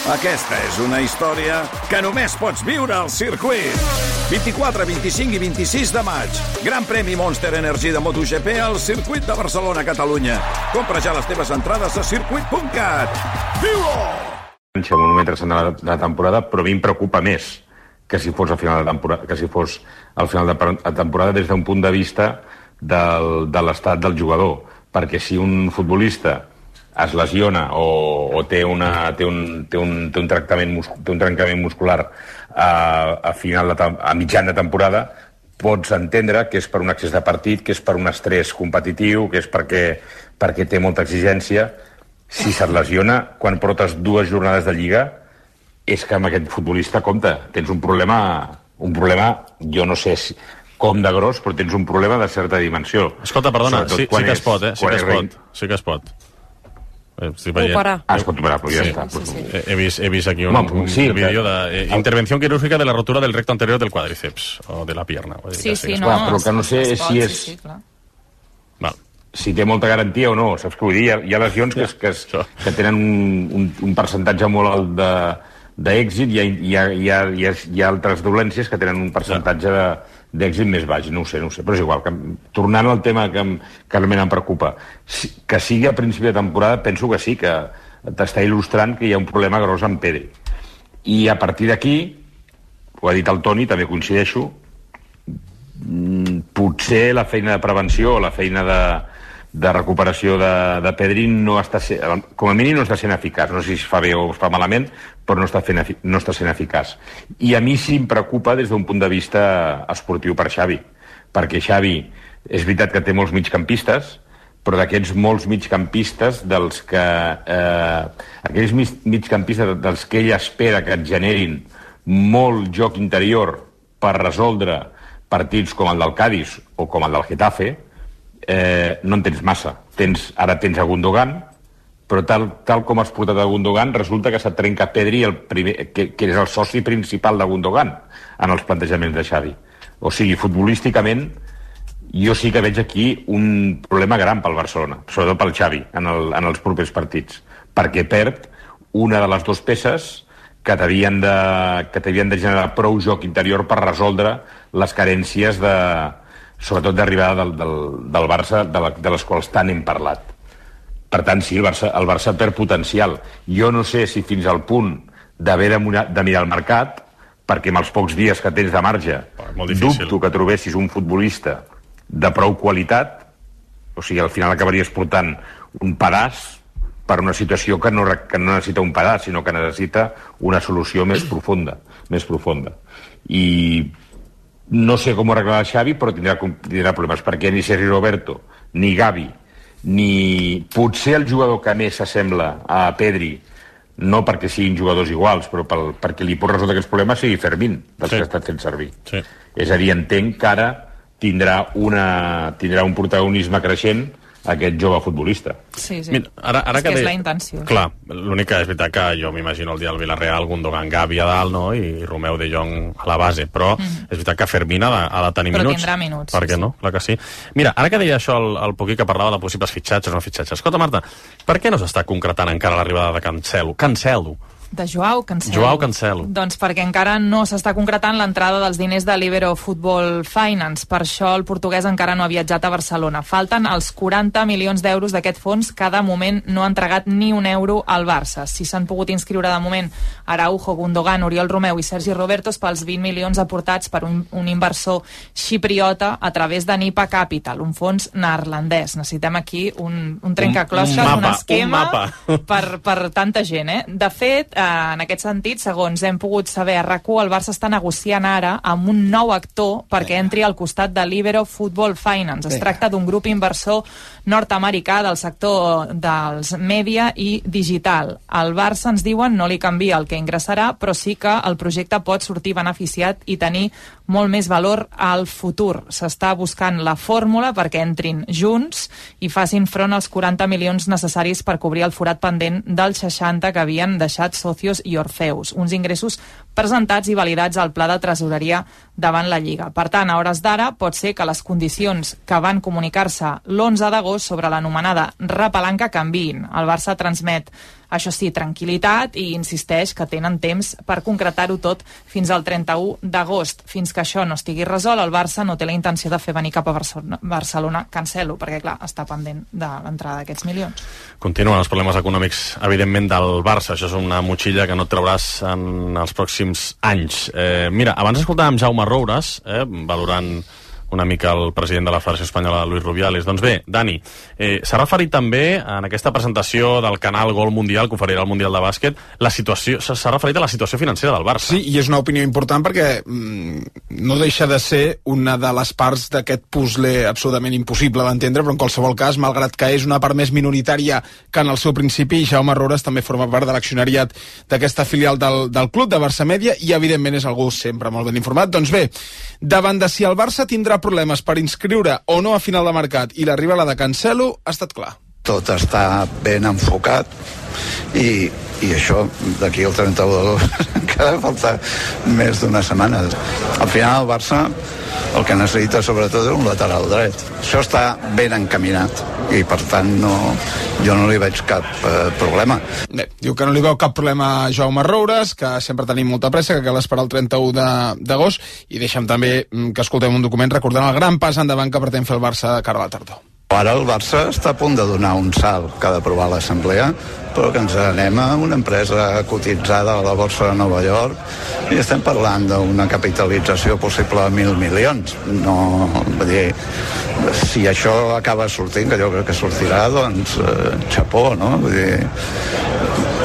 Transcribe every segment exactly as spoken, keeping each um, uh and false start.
Aquesta és una història que només pots viure al circuit. vint-i-quatre, vint-i-cinc i vint-i-sis de maig. Gran premi Monster Energy de MotoGP al circuit de Barcelona, Catalunya. Compra ja les teves entrades a circuit punt cat. Viu-ho! Un moment interessant de la temporada, però a mi em preocupa més que si fos al final de temporada, que si fos al final de la temporada des d'un punt de vista del, de l'estat del jugador. Perquè si un futbolista es lesiona o, o té, una, té, un, té, un, té, un tractament mus, té un trencament muscular a, a, final de, a mitjan de temporada, pots entendre que és per un excés de partit, que és per un estrès competitiu, que és perquè, perquè té molta exigència. Si se't lesiona quan portes dues jornades de Lliga, és que amb aquest futbolista, compte, tens un problema, un problema, jo no sé si, com de gros, però tens un problema de certa dimensió. Escolta, perdona, sí, sí que es pot, eh? Sí que es pot, sí que es pot. Operar. Ah, es pot operar, però ja sí, està. Sí, sí. He, he, vist, he vist aquí un, Home, un sí, vídeo de eh, intervención quirúrgica de la rotura del recto anterior del cuádriceps o de la pierna. Sí, sí, no, no. Clar, però que no sé es pot, si és... Sí, sí, clar. Val. Si té molta garantia o no, saps què vull dir? Hi ha, hi ha lesions que, que, es, que tenen un, un, un percentatge molt alt de, d'èxit i hi ha, hi, ha, hi, ha, hi, ha, hi ha altres dolències que tenen un percentatge de, d'èxit més baix, no ho sé, no ho sé, però és igual. Que, tornant al tema que, que realment em preocupa, si, que sigui a principi de temporada, penso que sí, que t'està il·lustrant que hi ha un problema gros amb Pedri. I a partir d'aquí, ho ha dit el Toni, també coincideixo, potser la feina de prevenció o la feina de, de recuperació de, de Pedri no està sent, com a mínim no està sent eficaç. No sé si es fa bé o es fa malament, però no està, fent, no està sent eficaç. I a mi sí em preocupa des d'un punt de vista esportiu per Xavi, perquè Xavi és veritat que té molts migcampistes, però d'aquests molts migcampistes dels que eh, aquells migcampistes dels que ell espera que et generin molt joc interior per resoldre partits com el del Cádiz o com el del Getafe, eh, no en tens massa. Tens, ara tens a Gundogan, però tal, tal com has portat a Gundogan, resulta que se't trenca Pedri, el primer, que, que és el soci principal de Gundogan en els plantejaments de Xavi. O sigui, futbolísticament, jo sí que veig aquí un problema gran pel Barcelona, sobretot pel Xavi, en, el, en els propers partits, perquè perd una de les dues peces que t'havien de, que t'havien de generar prou joc interior per resoldre les carències de, sobretot d'arribada del, del, del Barça, de, la, de les quals tant hem parlat. Per tant, sí, el Barça, el Barça perd potencial. Jo no sé si fins al punt d'haver de, de mirar el mercat, perquè amb els pocs dies que tens de marge dubto que trobessis un futbolista de prou qualitat, o sigui, al final acabaries portant un pedaç per una situació que no, que no necessita un pedaç, sinó que necessita una solució més profunda, més profunda. I no sé com ho arreglarà Xavi, però tindrà, tindrà problemes, perquè ni Sergi Roberto, ni Gavi, ni potser el jugador que més s'assembla a Pedri, no perquè siguin jugadors iguals, però pel, perquè li pot resoldre aquests problemes, sigui Fermín, dels sí. que ha estat fent servir. Sí. És a dir, entenc que ara tindrà, una, tindrà un protagonisme creixent aquest jove futbolista. Sí, sí. Mira, ara, ara és que, que és de... la intenció. Clar, l'únic que és veritat que jo m'imagino el dia del Villarreal, Gundogan, Gavi a dalt, no? I Romeu de Jong a la base, però mm. és veritat que Fermín ha de, ha de tenir però minuts. Però tindrà minuts. Per què sí, no? Clar que sí. Mira, ara que deia això el, el Poquí, que parlava de possibles fitxatges o no fitxatges. Escolta, Marta, per què no s'està concretant encara l'arribada de Cancelo? Cancelo. De Joao Cancelo. Joao Cancelo. Doncs perquè encara no s'està concretant l'entrada dels diners de Libero Football Finance. Per això el portuguès encara no ha viatjat a Barcelona. Falten els quaranta milions d'euros d'aquest fons que de moment no ha entregat ni un euro al Barça. Si s'han pogut inscriure de moment Araujo, Gundogan, Oriol Romeu i Sergi Roberto pels vint milions aportats per un, un inversor xipriota a través de Nipa Capital, un fons neerlandès. Necessitem aquí un, un trencaclosques, un, un, un esquema un per, per tanta gent. Eh? De fet, en aquest sentit, segons hem pogut saber a RAC u, el Barça està negociant ara amb un nou actor perquè entri al costat de Libero Football Finance. Es tracta d'un grup inversor nord-americà del sector dels mèdia i digital. El Barça, ens diuen, no li canvia el que ingressarà, però sí que el projecte pot sortir beneficiat i tenir molt més valor al futur. S'està buscant la fórmula perquè entrin junts i facin front als quaranta milions necessaris per cobrir el forat pendent dels seixanta que havien deixat Socios i Orfeus, uns ingressos presentats i validats al pla de tresoreria davant la Lliga. Per tant, a hores d'ara, pot ser que les condicions que van comunicar-se l'onze d'agost sobre l'anomenada repalanca canviïn. El Barça transmet Això sí, tranquil·litat, i insisteix que tenen temps per concretar-ho tot fins al trenta-u d'agost. Fins que això no estigui resolt, el Barça no té la intenció de fer venir cap a Barcelona, Barcelona cancel·lo, perquè clar, està pendent de l'entrada d'aquests milions. Continuen els problemes econòmics, evidentment, del Barça. Això és una motxilla que no et trauràs en els pròxims anys. Eh, mira, abans escoltàvem Jaume Roures, eh, valorant una mica el president de la Federació Espanyola, Luis Rubiales. Doncs bé, Dani, eh, s'ha referit també en aquesta presentació del canal Gol Mundial, que oferirà el Mundial de Bàsquet, la situació, s'ha referit a la situació financera del Barça. Sí, i és una opinió important perquè mm, no deixa de ser una de les parts d'aquest puzzle absolutament impossible d'entendre, però en qualsevol cas, malgrat que és una part més minoritària que en el seu principi, Jaume Roures també forma part de l'accionariat d'aquesta filial del, del club, de Barça Media, i evidentment és algú sempre molt ben informat. Doncs bé, davant de si el Barça tindrà problemes per inscriure o no a final de mercat i l'arribada de Cancelo ha estat clar. Tot està ben enfocat i, i això d'aquí al trenta-u d'agost encara falta més d'una setmana. Al final el Barça el que necessita sobretot és un lateral dret. Això està ben encaminat i per tant no, jo no li veig cap eh, problema. Bé, diu que no li veu cap problema a Jaume Roures, que sempre tenim molta pressa, que cal esperar el trenta-u d'agost, i deixa'm també que escoltem un document recordant el gran pas endavant que pretén fer el Barça de cara a la tardor. Ara el Barça està a punt de donar un salt que ha d'aprovar l'Assemblea, però que ens anem a una empresa cotitzada a la Borsa de Nova York i estem parlant d'una capitalització possible de mil milions. No, vull dir, si això acaba sortint, que jo crec que sortirà, doncs eh, xapó, no? Vull dir,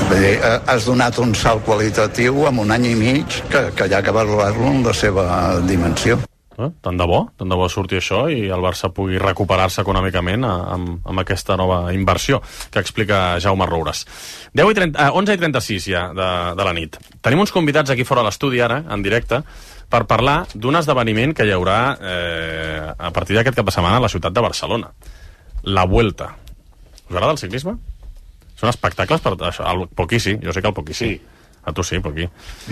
vull dir, has donat un salt qualitatiu en un any i mig que, que hi ha que valorar-lo en la seva dimensió. Eh? Tant de bo, tant de bo surti això i el Barça pugui recuperar-se econòmicament amb, amb aquesta nova inversió que explica Jaume Roures. deu i trenta, eh, onze i trenta-sis ja de, de la nit. Tenim uns convidats aquí fora a l'estudi ara, en directe, per parlar d'un esdeveniment que hi haurà eh, a partir d'aquest cap de setmana a la ciutat de Barcelona. La Vuelta. Us agrada el ciclisme? Són espectacles per això. El Poquí sí, jo sé que el Poquí sí. sí. A tu sí, Poquí.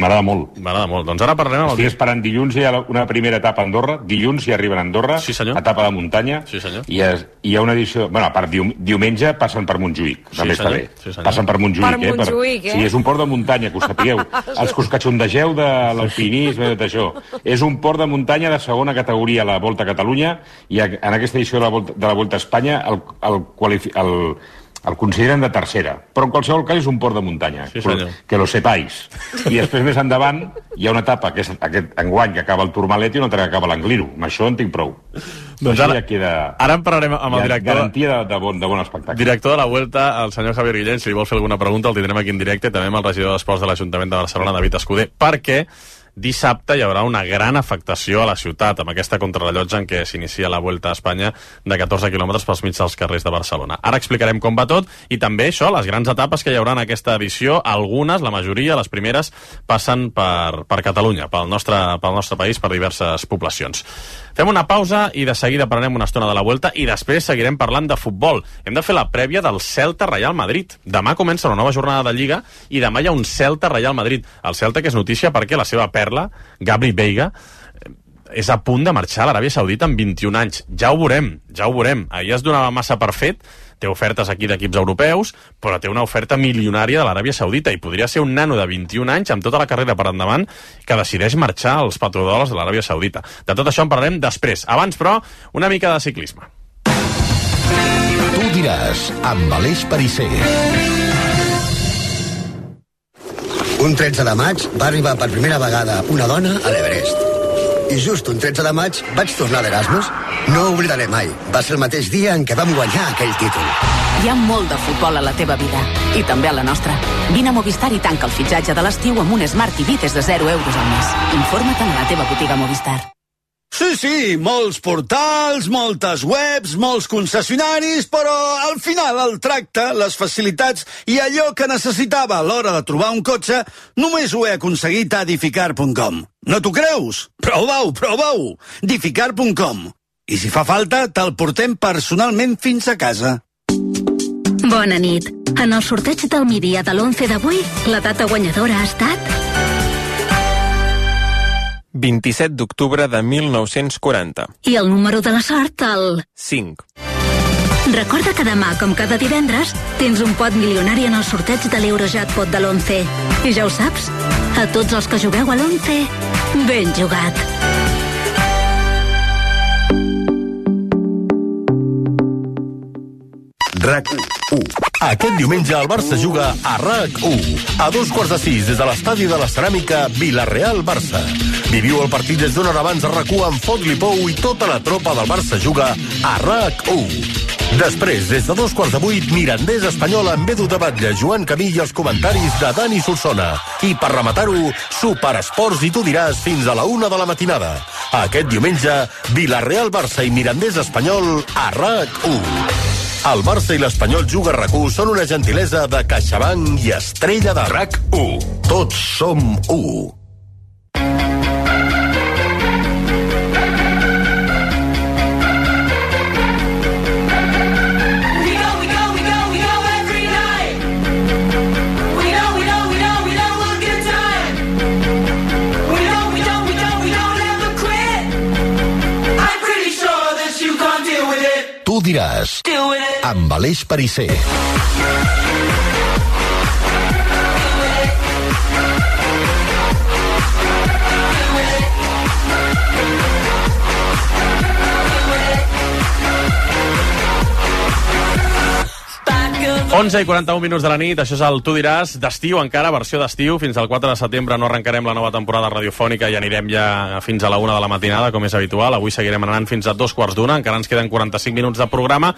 M'agrada molt. M'agrada molt. Doncs ara parlarem... Estic el... esperant dilluns, hi ha una primera etapa a Andorra, dilluns hi arriben a Andorra, sí, etapa de muntanya, sí, senyor. I es, hi ha una edició... Bueno, a part, dium, diumenge passen per Montjuïc, també sí, està bé. Sí, passen per Montjuïc, per eh? Montjuïc, per... eh? Sí, és un port de muntanya, que ho sapigueu. Els que us catxondegeu de l'alpinisme, de tot això. És un port de muntanya de segona categoria a la Volta a Catalunya, i en aquesta edició de la Volta, de la Volta a Espanya el, el, qualifi... el el consideren de tercera, però en qualsevol cas és un port de muntanya, sí, que lo sepáis. I després més endavant hi ha una etapa, que és aquest enguany, que acaba el Tourmalet, i una altra que acaba l'Angliru. Amb això en tinc prou. Doncs ara, ja queda, ara en parlarem amb el director... Garantia de, de, bon, de bon espectacle. Director de la Vuelta, el senyor Javier Guillén, si li vol fer alguna pregunta, el tindrem aquí en directe, també amb el regidor d'Esports de l'Ajuntament de Barcelona, David Escudé, perquè dissabte hi haurà una gran afectació a la ciutat amb aquesta contrarrellotge en què s'inicia la Vuelta a Espanya de catorze quilòmetres pels mig dels carrers de Barcelona. Ara explicarem com va tot i també això, les grans etapes que hi haurà en aquesta edició. Algunes, la majoria, les primeres, passen per, per Catalunya, pel nostre, pel nostre país, per diverses poblacions. Fem una pausa i de seguida parlarem una estona de la Vuelta i després seguirem parlant de futbol. Hem de fer la prèvia del Celta Real Madrid. Demà comença una nova jornada de Lliga i demà hi ha un Celta Real Madrid. El Celta, que és notícia perquè la seva perla, Gabri Veiga, és a punt de marxar a l'Aràbia Saudita amb vint-i-un anys. Ja ho veurem, ja ho veurem. Ahir es donava massa per fet, té ofertes aquí d'equips europeus, però té una oferta milionària de l'Aràbia Saudita i podria ser un nano de vint-i-un anys amb tota la carrera per endavant que decideix marxar als petrodòlars de l'Aràbia Saudita. De tot això en parlarem després. Abans, però, una mica de ciclisme. Tu diràs, amb Aleix Perisser. Un tretze de maig va arribar per primera vegada una dona a l'Everest. I just un tretze de maig vaig tornar d'Erasmus. No ho oblidaré mai. Va ser el mateix dia en què vam guanyar aquell títol. Hi ha molt de futbol a la teva vida. I també a la nostra. Vine a Movistar i tanca el fitxatge de l'estiu amb un Smart T V des de zero euros al mes. Informa't a la teva botiga Movistar. Sí, sí, molts portals, moltes webs, molts concessionaris, però al final el tracte, les facilitats i allò que necessitava a l'hora de trobar un cotxe només ho he aconseguit a Dificar punt com. No t'ho creus? Prova-ho, prova-ho! Dificar punt com. I si fa falta, te'l portem personalment fins a casa. Bona nit. En el sorteig del migdia de l'onze d'avui, la data guanyadora ha estat... vint-i-set d'octubre de mil nou-cents quaranta. I el número de la sort, el... cinc. Recorda que demà, com cada divendres, tens un pot milionari en el sorteig de l'Eurojackpot de l'onze. I ja ho saps, a tots els que jugueu a l'onze, ben jugat. RAC u. Aquest diumenge el Barça juga a RAC u. A dos quarts de sis des de l'estadi de la Ceràmica Vila-real-Barça. Viviu el partit des d'una hora abans a RAC u amb Fot-li Pou i tota la tropa del Barça juga a RAC u. Després, des de dos quarts de vuit, Mirandés Espanyol amb Edu de Batlle, Joan Camí i els comentaris de Dani Solsona. I per rematar-ho, Superesports i tu diràs fins a la una de la matinada. Aquest diumenge, Vila-real-Barça i Mirandés Espanyol a RAC u. El Barça i l'Espanyol Juga RAC u són una gentilesa de CaixaBank i Estrella de RAC u. Tots som u. Tu diràs, amb Aleix Perisser. onze i quaranta-un minuts de la nit, això és el Tu diràs, d'estiu encara, versió d'estiu. Fins al quatre de setembre no arrencarem la nova temporada radiofònica i anirem ja fins a la una de la matinada, com és habitual. Avui seguirem anant fins a dos quarts d'una, encara ens queden quaranta-cinc minuts de programa.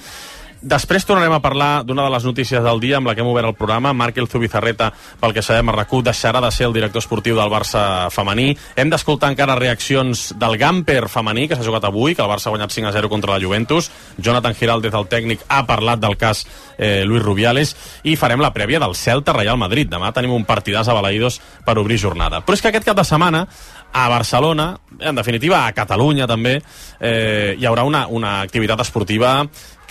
Després tornarem a parlar d'una de les notícies del dia amb la que hem obert el programa. Marc Zubizarreta, pel que sabem a RAC u, deixarà de ser el director esportiu del Barça femení. Hem d'escoltar encara reaccions del Gamper femení, que s'ha jugat avui, que el Barça ha guanyat cinc a zero contra la Juventus. Jonathan Giraldez, el tècnic, ha parlat del cas eh, Luis Rubiales, i farem la prèvia del Celta Real Madrid. Demà tenim un partidàs a Balaïdos per obrir jornada. Però és que aquest cap de setmana a Barcelona, en definitiva a Catalunya també, eh, hi haurà una, una activitat esportiva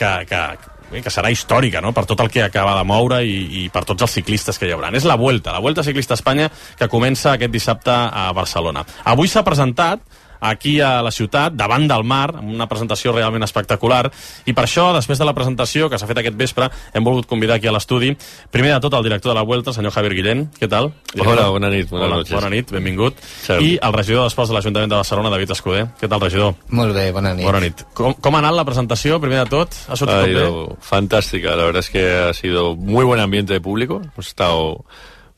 que, que, que serà històrica, no?, per tot el que acaba de moure i, i per tots els ciclistes que hi haurà. És la Vuelta, la Vuelta Ciclista a Espanya, que comença aquest dissabte a Barcelona. Avui s'ha presentat aquí a la ciutat, davant del mar, amb una presentació realment espectacular, i per això, després de la presentació que s'ha fet aquest vespre, hem volgut convidar aquí a l'estudi, primer de tot, el director de la Vuelta, el senyor Javier Guillén. Què tal? Hola, bona nit, bona Hola, noches. Bona nit, benvingut. Salud. I el regidor d'Esports de l'Ajuntament de Barcelona, David Escudé. Què tal, regidor? Molt bé, bona nit. Bona nit. Com, com ha anat la presentació, primer de tot? ¿Ha sortit Ha tot bé? ido fantástica, la verdad es que ha sido muy buen ambiente de público, hemos estado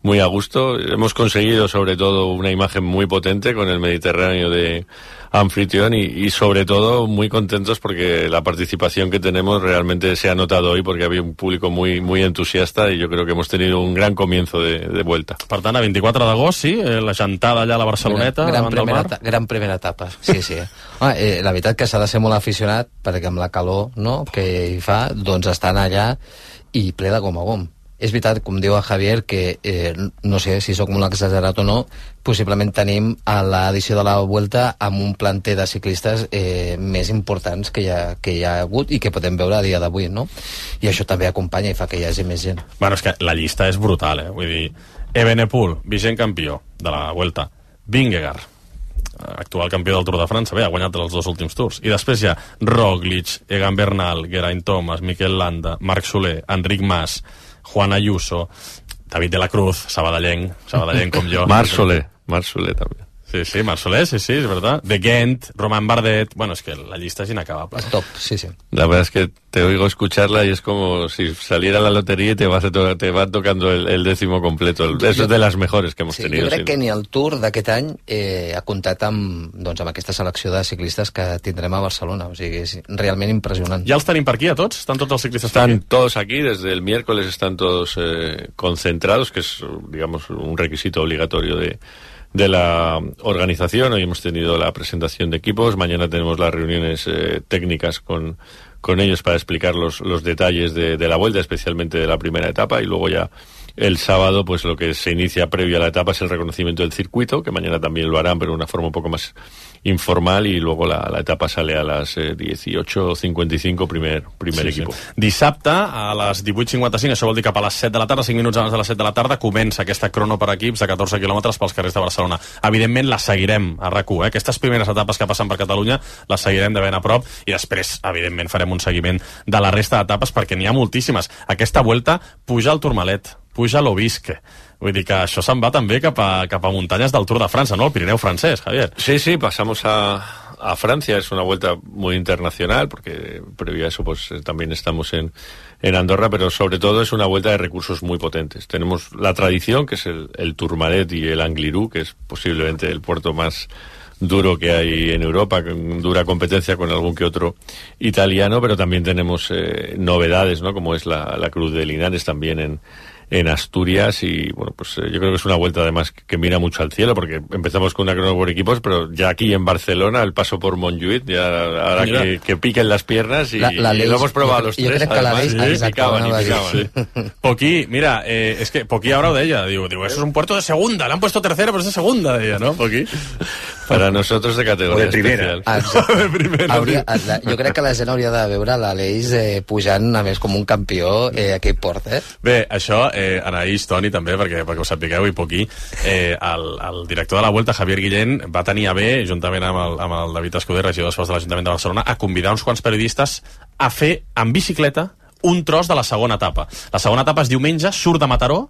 muy a gusto, hemos conseguido sobre todo una imagen muy potente con el Mediterráneo de anfitrión y, y sobre todo muy contentos porque la participación que tenemos realmente se ha notado hoy porque había un público muy muy entusiasta y yo creo que hemos tenido un gran comienzo de, de vuelta. Per tant, a vint-i-quatre d'agost, sí, eh, la gentada allà a la Barceloneta, gran, gran, davant del primera, mar. ta- gran primera etapa, sí, sí. Home, eh, la veritat que s'ha de ser molt aficionat perquè amb la calor, no?, que hi fa, doncs estan allà i ple de gom a gom. És veritat, com diu el Javier, que eh, no sé si sóc molt exagerat o no, possiblement tenim a l'edició de la Vuelta amb un planter de ciclistes eh, més importants que hi, ha, que hi ha hagut i que podem veure a dia d'avui, no? I això també acompanya i fa que hi hagi més gent. Bueno, és que la llista és brutal, eh? Vull dir, Evenepoel, vigent campió de la Vuelta, Vingegaard, actual campió del Tour de França, bé, ha guanyat els dos últims tours, i després hi ha Roglic, Egan Bernal, Geraint Thomas, Mikel Landa, Marc Soler, Enric Mas, Juan Ayuso, David de la Cruz, sabadellenc, sabadellenc com jo. Marc Soler, Marc Soler també. Sí, sí, Marc Soler, sí, sí, és verdad. De Gent, Roman Bardet, bueno, es que la lista es inacabable. Es top, sí, sí. La verdad es que te oigo escucharla y es como si saliera la lotería y te, vas a to te va tocando el, el décimo completo. El, eso es de las mejores que hemos Sí, tenido. jo crec sí. que ni el Tour d'aquest any eh, ha comptat amb, doncs, amb aquesta selecció de ciclistes que tindrem a Barcelona. O sigui, és realment impressionant. Ja els tenim per aquí a tots? Estan tots els ciclistes per Están aquí? todos aquí, desde el miércoles están todos eh, concentrados, que es, digamos, un requisito obligatorio de, de la organización. Hoy hemos tenido la presentación de equipos, mañana tenemos las reuniones eh, técnicas con, con ellos para explicar los, los detalles de, de la vuelta, especialmente de la primera etapa, y luego ya el sábado, pues lo que se inicia previo a la etapa es el reconocimiento del circuito, que mañana también lo harán, pero de una forma un poco más informal, y luego la, la etapa sale a les eh, dieciocho cincuenta y cinco, primer, primer sí, equipo. Sí. Dissabte, a les divuit cinquanta cinc, això vol dir cap a les set de la tarda, cinc minuts abans de les set de la tarda, comença aquesta crono per equips de catorze quilòmetres pels carrers de Barcelona. Evidentment, la seguirem a RAC u, eh? Aquestes primeres etapes que passen per Catalunya les seguirem de ben a prop, i després, evidentment, farem un seguiment de la resta d'etapes, perquè n'hi ha moltíssimes. Aquesta Vuelta puja al Tourmalet, puja a l'Obisque. Vull dir que això se'n va també cap a, cap a muntanyes del Tour de França, ¿no? El Pirineu francés, Javier. Sí, sí, pasamos a, a Francia. Es una vuelta muy internacional, porque previo a eso pues también estamos en, en Andorra, pero sobre todo es una vuelta de recursos muy potentes. Tenemos la tradición, que es el, el Tourmalet y el Angliru, que es posiblemente el puerto más duro que hay en Europa, con dura competencia con algún que otro italiano, pero también tenemos eh, novedades, ¿no? Como es la, la Cruz de Linares también en, en Asturias, y bueno, pues eh, yo creo que es una vuelta además que, que mira mucho al cielo, porque empezamos con una crono por equipos, pero ya aquí en Barcelona el paso por Montjuïc, ya ahora que, que piquen las piernas, y, la, la y lo hemos probado yo, los yo tres, crec que además, la sí, picaban y picaban. Sí. Poquí, mira, eh, es que Poquí ahora ho deia, digo, digo, eso es un puerto de segunda, le han puesto tercera, pero es de segunda, deia, ¿no, Poquí? Para nosotros de categoria o de primera. especial. de primera. Hauria, la, jo crec que la gent hauria de veure l'Aleix eh, pujant, a més, com un campió eh, a aquell port, eh? Bé, això, eh, Anaïs, Toni, també, perquè, perquè ho sapigueu, i Poquí, eh, el, el director de la Vuelta, Javier Guillén, va tenir a bé, juntament amb el, amb el David Escuder, regidor d'Esports de l'Ajuntament de Barcelona, a convidar uns quants periodistes a fer, en bicicleta, un tros de la segona etapa. La segona etapa és diumenge, surt de Mataró,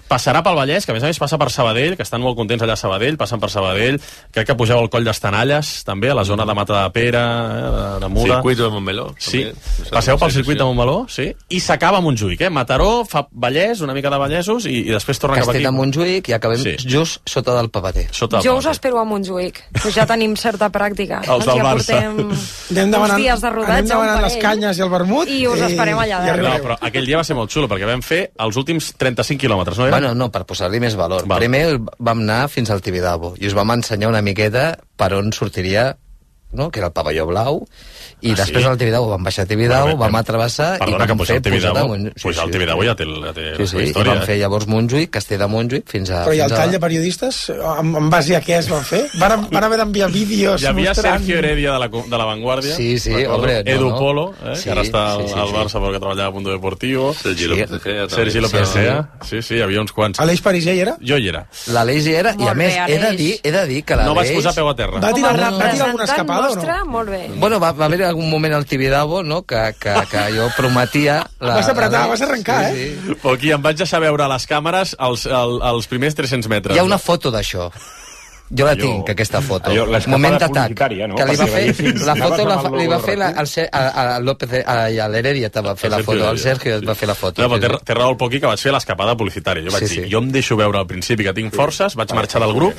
passarà pel Vallès, que a més a més passa per Sabadell, que estan molt contents allà a Sabadell, passen per Sabadell, crec que pugeu al Coll d'Estanalles, també, a la zona de Matadepera, eh, de, de Muda. Circuito de Montmeló. Sí, també. passeu pel circuit de Montmeló, sí, i s'acaba a Montjuïc, eh? Mataró, fa Vallès, una mica de Vallesos, i, i després torna cap aquí. Castell de Montjuïc, i acabem Sí. just sota del Pavater. Sota del Jo us Pavater. espero a Montjuïc, que ja tenim certa pràctica. Els del ja Barça. portem Anem demanant, uns dies de rodatge, anem demanant un les parell, canyes i el vermut i us esperem allà i dalt. No, però aquell dia va ser molt xulo, perquè vam fer els últims trenta-cinc quilòmetres, no era? Bueno, no, per posar-li més valor. Val. Primer vam anar fins al Tibidabo i us vam ensenyar una miqueta per on sortiria, no?, que era el pavelló blau, i Ah, després sí? al Tibidabo vam baixar a Tibidabo, Bueno, bé, vam atrevessar i Perdona, que vam pujar fer al Tibidabo, pujada a Montjuïc. pujar al Tibidabo ja té, ja té Sí, la sí, seva i història. vam fer llavors Montjuïc, Castell de Montjuïc, fins a... Però i el fins a... tall de periodistes, en, en base a què es van fer? Van, van haver d'enviar vídeos Hi havia mostrant... Sergio Heredia de la, de la Vanguardia. Sí, sí, recordo. hombre, no, Edu no. Polo, eh, Sí, que ara està al, sí, sí, al sí. Barça perquè treballava a Mundo Deportivo. Sergi Sí. López Egea, també. Sergi López Sí, Egea. Sí, sí, hi havia uns quants. Aleix Pariser hi era? Jo hi era. L'Aleix hi era, i a Molt més, bé, he de Aleix. dir, he de dir que l'Aleix... No vaig posar peu a terra. Va Com tirar, a va tirar alguna representant escapada o nostre, no? molt bé. Bueno, va, va haver algun moment al Tibidabo, no?, que, que, que jo prometia... La, Vas apretar, la- vas arrencar, sí, eh? Sí. O aquí em vaig deixar veure a les càmeres els, el, els primers tres-cents metres. Hi ha una foto d'això. Jo la Allò- tinc, aquesta foto. allò, l'escapada Moment d'atac. publicitària, no? Que li va Perquè fer... veiessin- La anaves foto la, amb fa- el li va logo fer la, RAC u. al, Ce- a, a López, a, i a l'Heredia te va fer la Sergio foto, el Heredia, Sergio sí. et va fer la foto. No, però sí, té, sí. té raó el Poqui, que vaig fer l'escapada publicitària. Jo vaig Sí, dir, sí. jo em deixo veure al principi que tinc forces, vaig marxar del grup,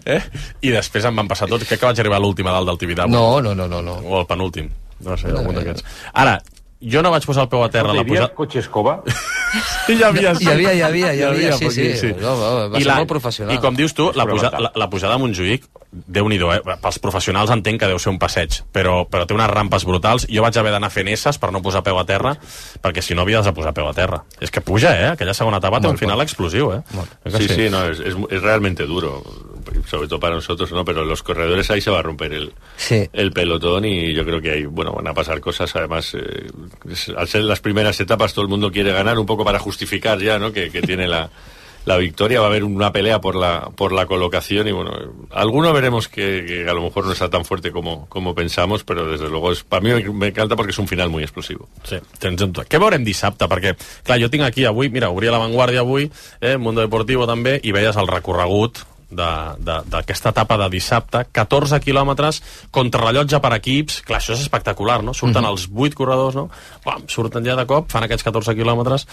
eh? I després em van passar tots. Crec que vaig arribar a l'última dalt del Tibidabo. No, no, no, no, no. O al penúltim. No sé, algun d'aquests. Ara, jo no vaig posar el peu a terra. Hi La havia posada... cotxe escova? Sí, hi havia, sí. Hi havia, hi havia, hi havia, sí, Poqui, sí. No, va, va I ser la- molt professional. I com dius tu, la, puja, Fonamental. la, la pujada a Montjuïc, Déu-n'hi-do, eh? Pels professionals entenc que deu ser un passeig, però, però té unes rampes brutals. Jo vaig haver d'anar fent esses per no posar peu a terra, perquè si no havies de posar peu a terra. És que puja, eh? Aquella segona etapa té un final explosiu, eh? És que Sí, sí, no, es, es, es realmente duro, sobre todo para nosotros, ¿no? Pero los corredores ahí se va a romper el, Sí. el pelotón, y yo creo que ahí, bueno, van a pasar cosas. Además, eh, es- al ser las primeras etapas, todo el mundo quiere ganar un poco para justificar ya, ¿no? Que, que tiene la, la victoria. Va a haber una pelea por la, por la colocación, y bueno, alguno veremos que, que a lo mejor no está tan fuerte como, como pensamos, pero desde luego es, para mí me, me encanta porque es un final muy explosivo. Sí, tens en Què veurem dissabte? Perquè, clar, jo tinc aquí avui, mira, obria la Vanguardia avui, eh, Mundo Deportivo també, i veies el recorregut d'aquesta etapa de dissabte, catorze quilòmetres, contrarrellotge per equips. Clar, això és espectacular, no? Surten Mhm. els vuit corredors, no? Bam, surten ja de cop, fan aquests catorze quilòmetres.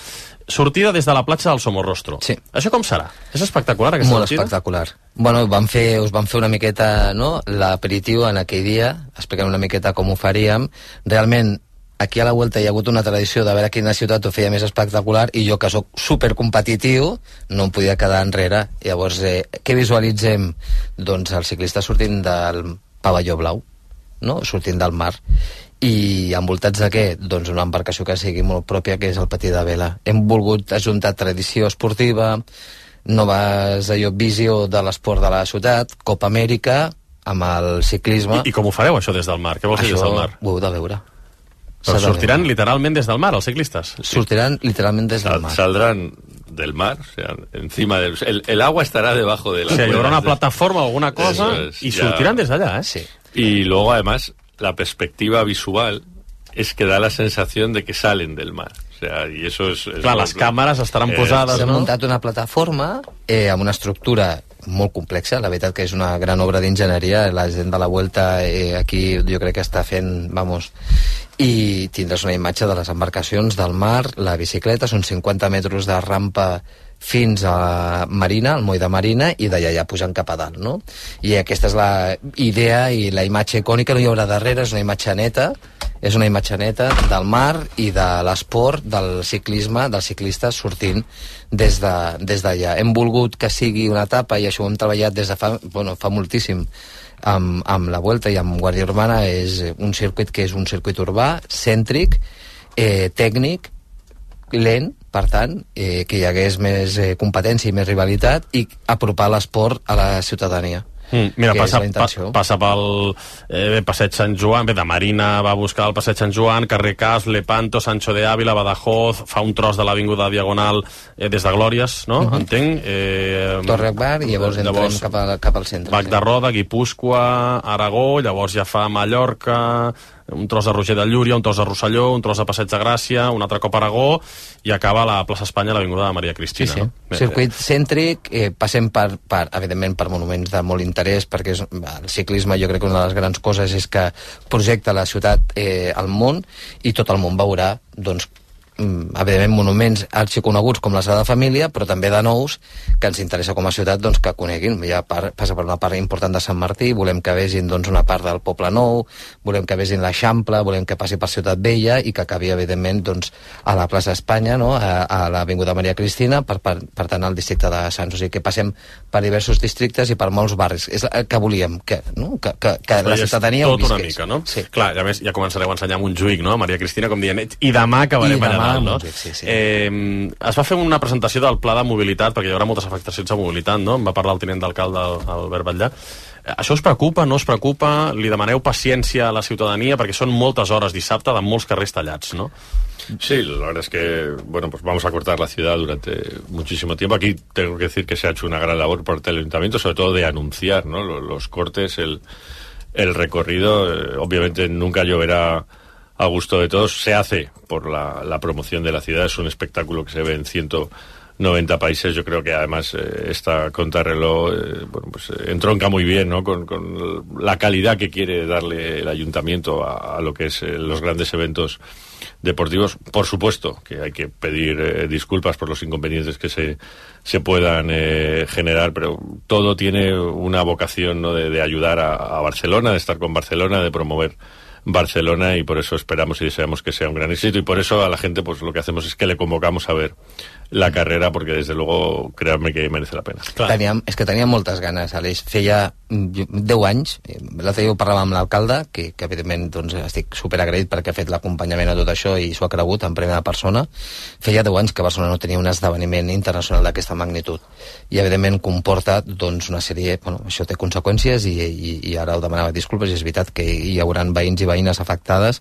Sortida des de la platja del Somorrostro. Sí. Això com serà? És espectacular, aquesta Molt sortida? espectacular. Bueno, vam fer, us vam fer una miqueta, no?, l'aperitiu en aquell dia, explicant una miqueta com ho faríem. Realment, aquí a la Vuelta hi ha hagut una tradició de veure quina ciutat ho feia més espectacular, i jo, que sóc supercompetitiu, no em podia quedar enrere. Llavors, eh, què visualitzem? Doncs el ciclista sortint del pavelló blau, no?, sortint del mar. I envoltats de què? Doncs una embarcació que sigui molt pròpia, que és el patí de vela. Hem volgut ajuntar tradició esportiva, noves allò, visió de l'esport de la ciutat, Copa Amèrica, amb el ciclisme. I, i com ho fareu, això, des del mar? Què vols dir des del mar? Ho heu de veure. Però sortiran literalment des del mar, els ciclistes? Sortiran literalment des del mar. Saldran del mar, o sea, encima del... El, el agua estará debajo de la... O sea, hi haurà una plataforma o alguna cosa es, y sortirán ya desde allá, ¿eh? Sí. Y luego, además, la perspectiva visual es que da la sensación de que salen del mar. O sea, y eso es... es Clar, les càmeres estaran eh, posades, S'ha no? muntat una plataforma eh, amb una estructura molt complexa, la veritat que és una gran obra d'enginyeria, la gent de la Vuelta eh, aquí jo crec que està fent, vamos, i tindràs una imatge de les embarcacions, del mar, la bicicleta, són cinquanta metres de rampa fins a Marina, al moll de Marina, i d'allà ja pujant cap a dalt, no? I aquesta és la idea i la imatge icònica, no hi haurà darrere, és una imatge neta, és una imatge neta del mar i de l'esport, del ciclisme, dels ciclistes sortint des d'allà. De, des Hem volgut que sigui una etapa, i això ho hem treballat des de fa, bueno, fa moltíssim, amb, amb la Vuelta i amb Guàrdia Urbana. És un circuit que és un circuit urbà, cèntric, eh, tècnic, lent, per tant, eh, que hi hagués més eh, competència i més rivalitat, i apropar l'esport a la ciutadania. Mm, mira, passa, pa, passa pel eh, Passeig Sant Joan, bé, de Marina va buscar el Passeig Sant Joan, carrer Cas, Lepanto, Sancho de Ávila, Badajoz, fa un tros de l'Avinguda Diagonal eh, des de Glòries, no? Uh-huh. Entenc. Eh, Torre Akbar, i llavors entrem llavors, cap, a, cap al centre. Bac sí. de Roda, Guipúscoa, Aragó, llavors ja fa Mallorca, un tros de Roger de Llúria, un tros de Rosselló, un tros de Passeig de Gràcia, un altre cop Aragó, i acaba a la plaça Espanya, a l'Avinguda de Maria Cristina. Sí, sí. No? Circuit cèntric, eh, passem per, per, evidentment, per monuments de molt interès, perquè és, el ciclisme, jo crec que una de les grans coses és que projecta la ciutat eh, al món, i tot el món veurà, doncs, evidentment, monuments arxiconeguts com la Sagrada Família, però també de nous que ens interessa com a ciutat doncs, que coneguin. Ja part, passa per una part important de Sant Martí, volem que vegin doncs, una part del Poble Nou, volem que vegin l'Eixample, volem que passi per Ciutat Vella i que acabi, evidentment, doncs, a la plaça Espanya, no? a, a l'Avinguda Maria Cristina, per, per, per tant, al districte de Sants. O sigui, que passem per diversos districtes i per molts barris. És el que volíem, que, no? que, que, que la ciutadania ho visqués. Tot una mica, no? Sí. Clar, a més, ja començareu a ensenyar Montjuïc, no? Maria Cristina, com dient, i demà acabarem allà dalt, no? Sí, sí. Eh, es va fer una presentació del pla de mobilitat, perquè hi haurà moltes afectacions a mobilitat, no? En va parlar el tinent d'alcalde, Albert Batllà. Eh, això us preocupa, no us preocupa? Li demaneu paciència a la ciutadania, perquè són moltes hores dissabte de molts carrers tallats, ¿no? Sí, la verdad es que, bueno, pues vamos a cortar la ciudad durante muchísimo tiempo. Aquí tengo que decir que se ha hecho una gran labor por el ayuntamiento, sobre todo de anunciar, ¿no? Los, los cortes, el, el recorrido. Eh, obviamente nunca lloverá a gusto de todos. Se hace por la, la promoción de la ciudad. Es un espectáculo que se ve en ciento noventa países. Yo creo que además eh, esta contrarreloj eh, bueno, pues, eh, entronca muy bien, ¿no? con, con la calidad que quiere darle el ayuntamiento a, a lo que es eh, los grandes eventos deportivos. Por supuesto que hay que pedir eh, disculpas por los inconvenientes que se, se puedan eh, generar, pero todo tiene una vocación, ¿no? de, de ayudar a, a Barcelona, de estar con Barcelona, de promover Barcelona, y por eso esperamos y deseamos que sea un gran éxito, y por eso a la gente pues lo que hacemos es que le convocamos a ver la carrera, porque desde luego créanme que merece la pena. Teníem, és que teníem moltes ganes, Aleix. Feia deu anys, l'altre dia ho parlàvem amb l'alcalde, que, que evidentment doncs, estic superagraït perquè ha fet l'acompanyament a tot això i s'ho ha cregut en primera persona. Feia deu anys que Barcelona no tenia un esdeveniment internacional d'aquesta magnitud, i evidentment comporta doncs, una sèrie, bueno, això té conseqüències, i, i, i ara ho demanava disculpes, i és veritat que hi haurà veïns i veïnes afectades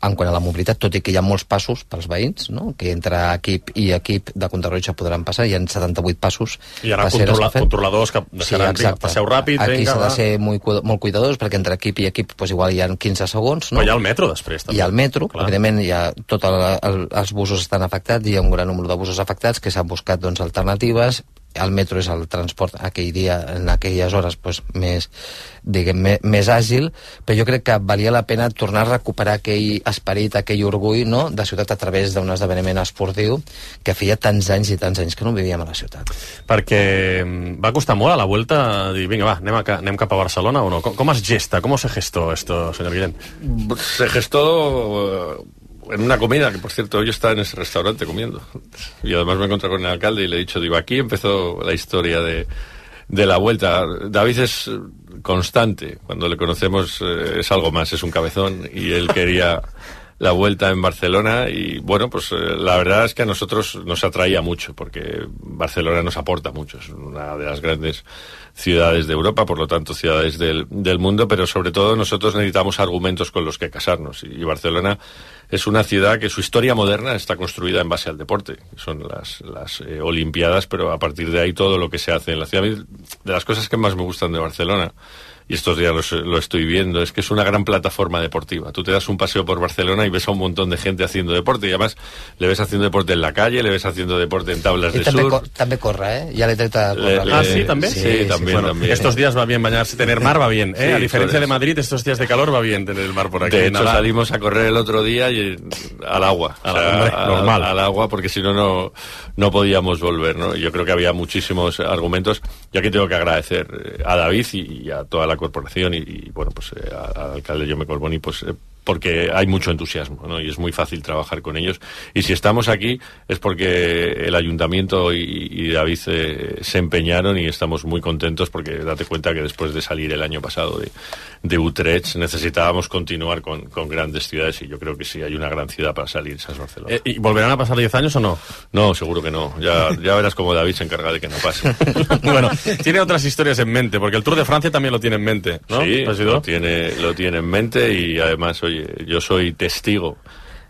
en quant a la mobilitat, tot i que hi ha molts passos pels veïns, no? Que entre equip i equip de contrarrotge podran passar, hi ha setanta-vuit passos. Hi ha controla, controladors que deixaran, sí, passeu ràpid, aquí vinga, s'ha de ser molt, molt cuidadors, perquè entre equip i equip pues, igual hi ha quinze segons, no? Però hi ha el metro després, també. Hi ha el metro, clar. Evidentment hi ha tot el, el, els busos estan afectats, hi ha un gran número de busos afectats que s'han buscat doncs, alternatives. El metro és el transport aquell dia, en aquelles hores pues, més, diguem, més, més àgil, però jo crec que valia la pena tornar a recuperar aquell esperit, aquell orgull, no?, de ciutat a través d'un esdeveniment esportiu que feia tants anys i tants anys que no vivíem a la ciutat. Perquè va costar molt a la Vuelta dir, vinga, va, anem, a, anem cap a Barcelona o no? Com, com es gesta? Com se gestó esto, señor Guillén? Se gestó en una comida, que por cierto, yo estaba en ese restaurante comiendo. Y además me encontré con el alcalde y le he dicho, digo, aquí empezó la historia de, de la Vuelta. David es constante, cuando le conocemos eh, es algo más, es un cabezón, y él quería la Vuelta en Barcelona, y bueno, pues eh, la verdad es que a nosotros nos atraía mucho, porque Barcelona nos aporta mucho, es una de las grandes ciudades de Europa, por lo tanto ciudades del, del mundo, pero sobre todo nosotros necesitamos argumentos con los que casarnos, y Barcelona es una ciudad que su historia moderna está construida en base al deporte, son las, las eh, Olimpiadas, pero a partir de ahí todo lo que se hace en la ciudad. De las cosas que más me gustan de Barcelona, y estos días lo, lo estoy viendo, es que es una gran plataforma deportiva. Tú te das un paseo por Barcelona y ves a un montón de gente haciendo deporte, y además le ves haciendo deporte en la calle, le ves haciendo deporte en tablas I de també, surf. cor, també corre, eh? Ja l'he tret a córrer. Ah, sí, también. Sí, sí, sí también, bueno, también. Estos días va bien bañarse, tener mar va bien, ¿eh? Sí, a diferencia pues, de Madrid, estos días de calor va bien tener el mar por aquí. De hecho, Nada. salimos a correr el otro día y al agua. Al, o sea, hombre, a, normal. Al agua, porque si no, no no podíamos volver, ¿no? Yo creo que había muchísimos argumentos. Yo aquí tengo que agradecer a David y, y a toda la corporación y, y bueno, pues eh, al alcalde Jaume Collboni, pues eh, porque hay mucho entusiasmo, ¿no? Y es muy fácil trabajar con ellos. Y si estamos aquí es porque el ayuntamiento y, y David eh, se empeñaron, y estamos muy contentos, porque date cuenta que después de salir el año pasado de, de Utrecht necesitábamos continuar con, con grandes ciudades, y yo creo que sí hay una gran ciudad para salir, esa es Barcelona. Eh, ¿Y volverán a pasar diez años o no? No, seguro que no. Ya, ya verás cómo David se encarga de que no pase. Bueno, tiene otras historias en mente, porque el Tour de Francia también lo tiene en mente, ¿no? Sí, lo tiene, lo tiene en mente, y además, oye, yo soy testigo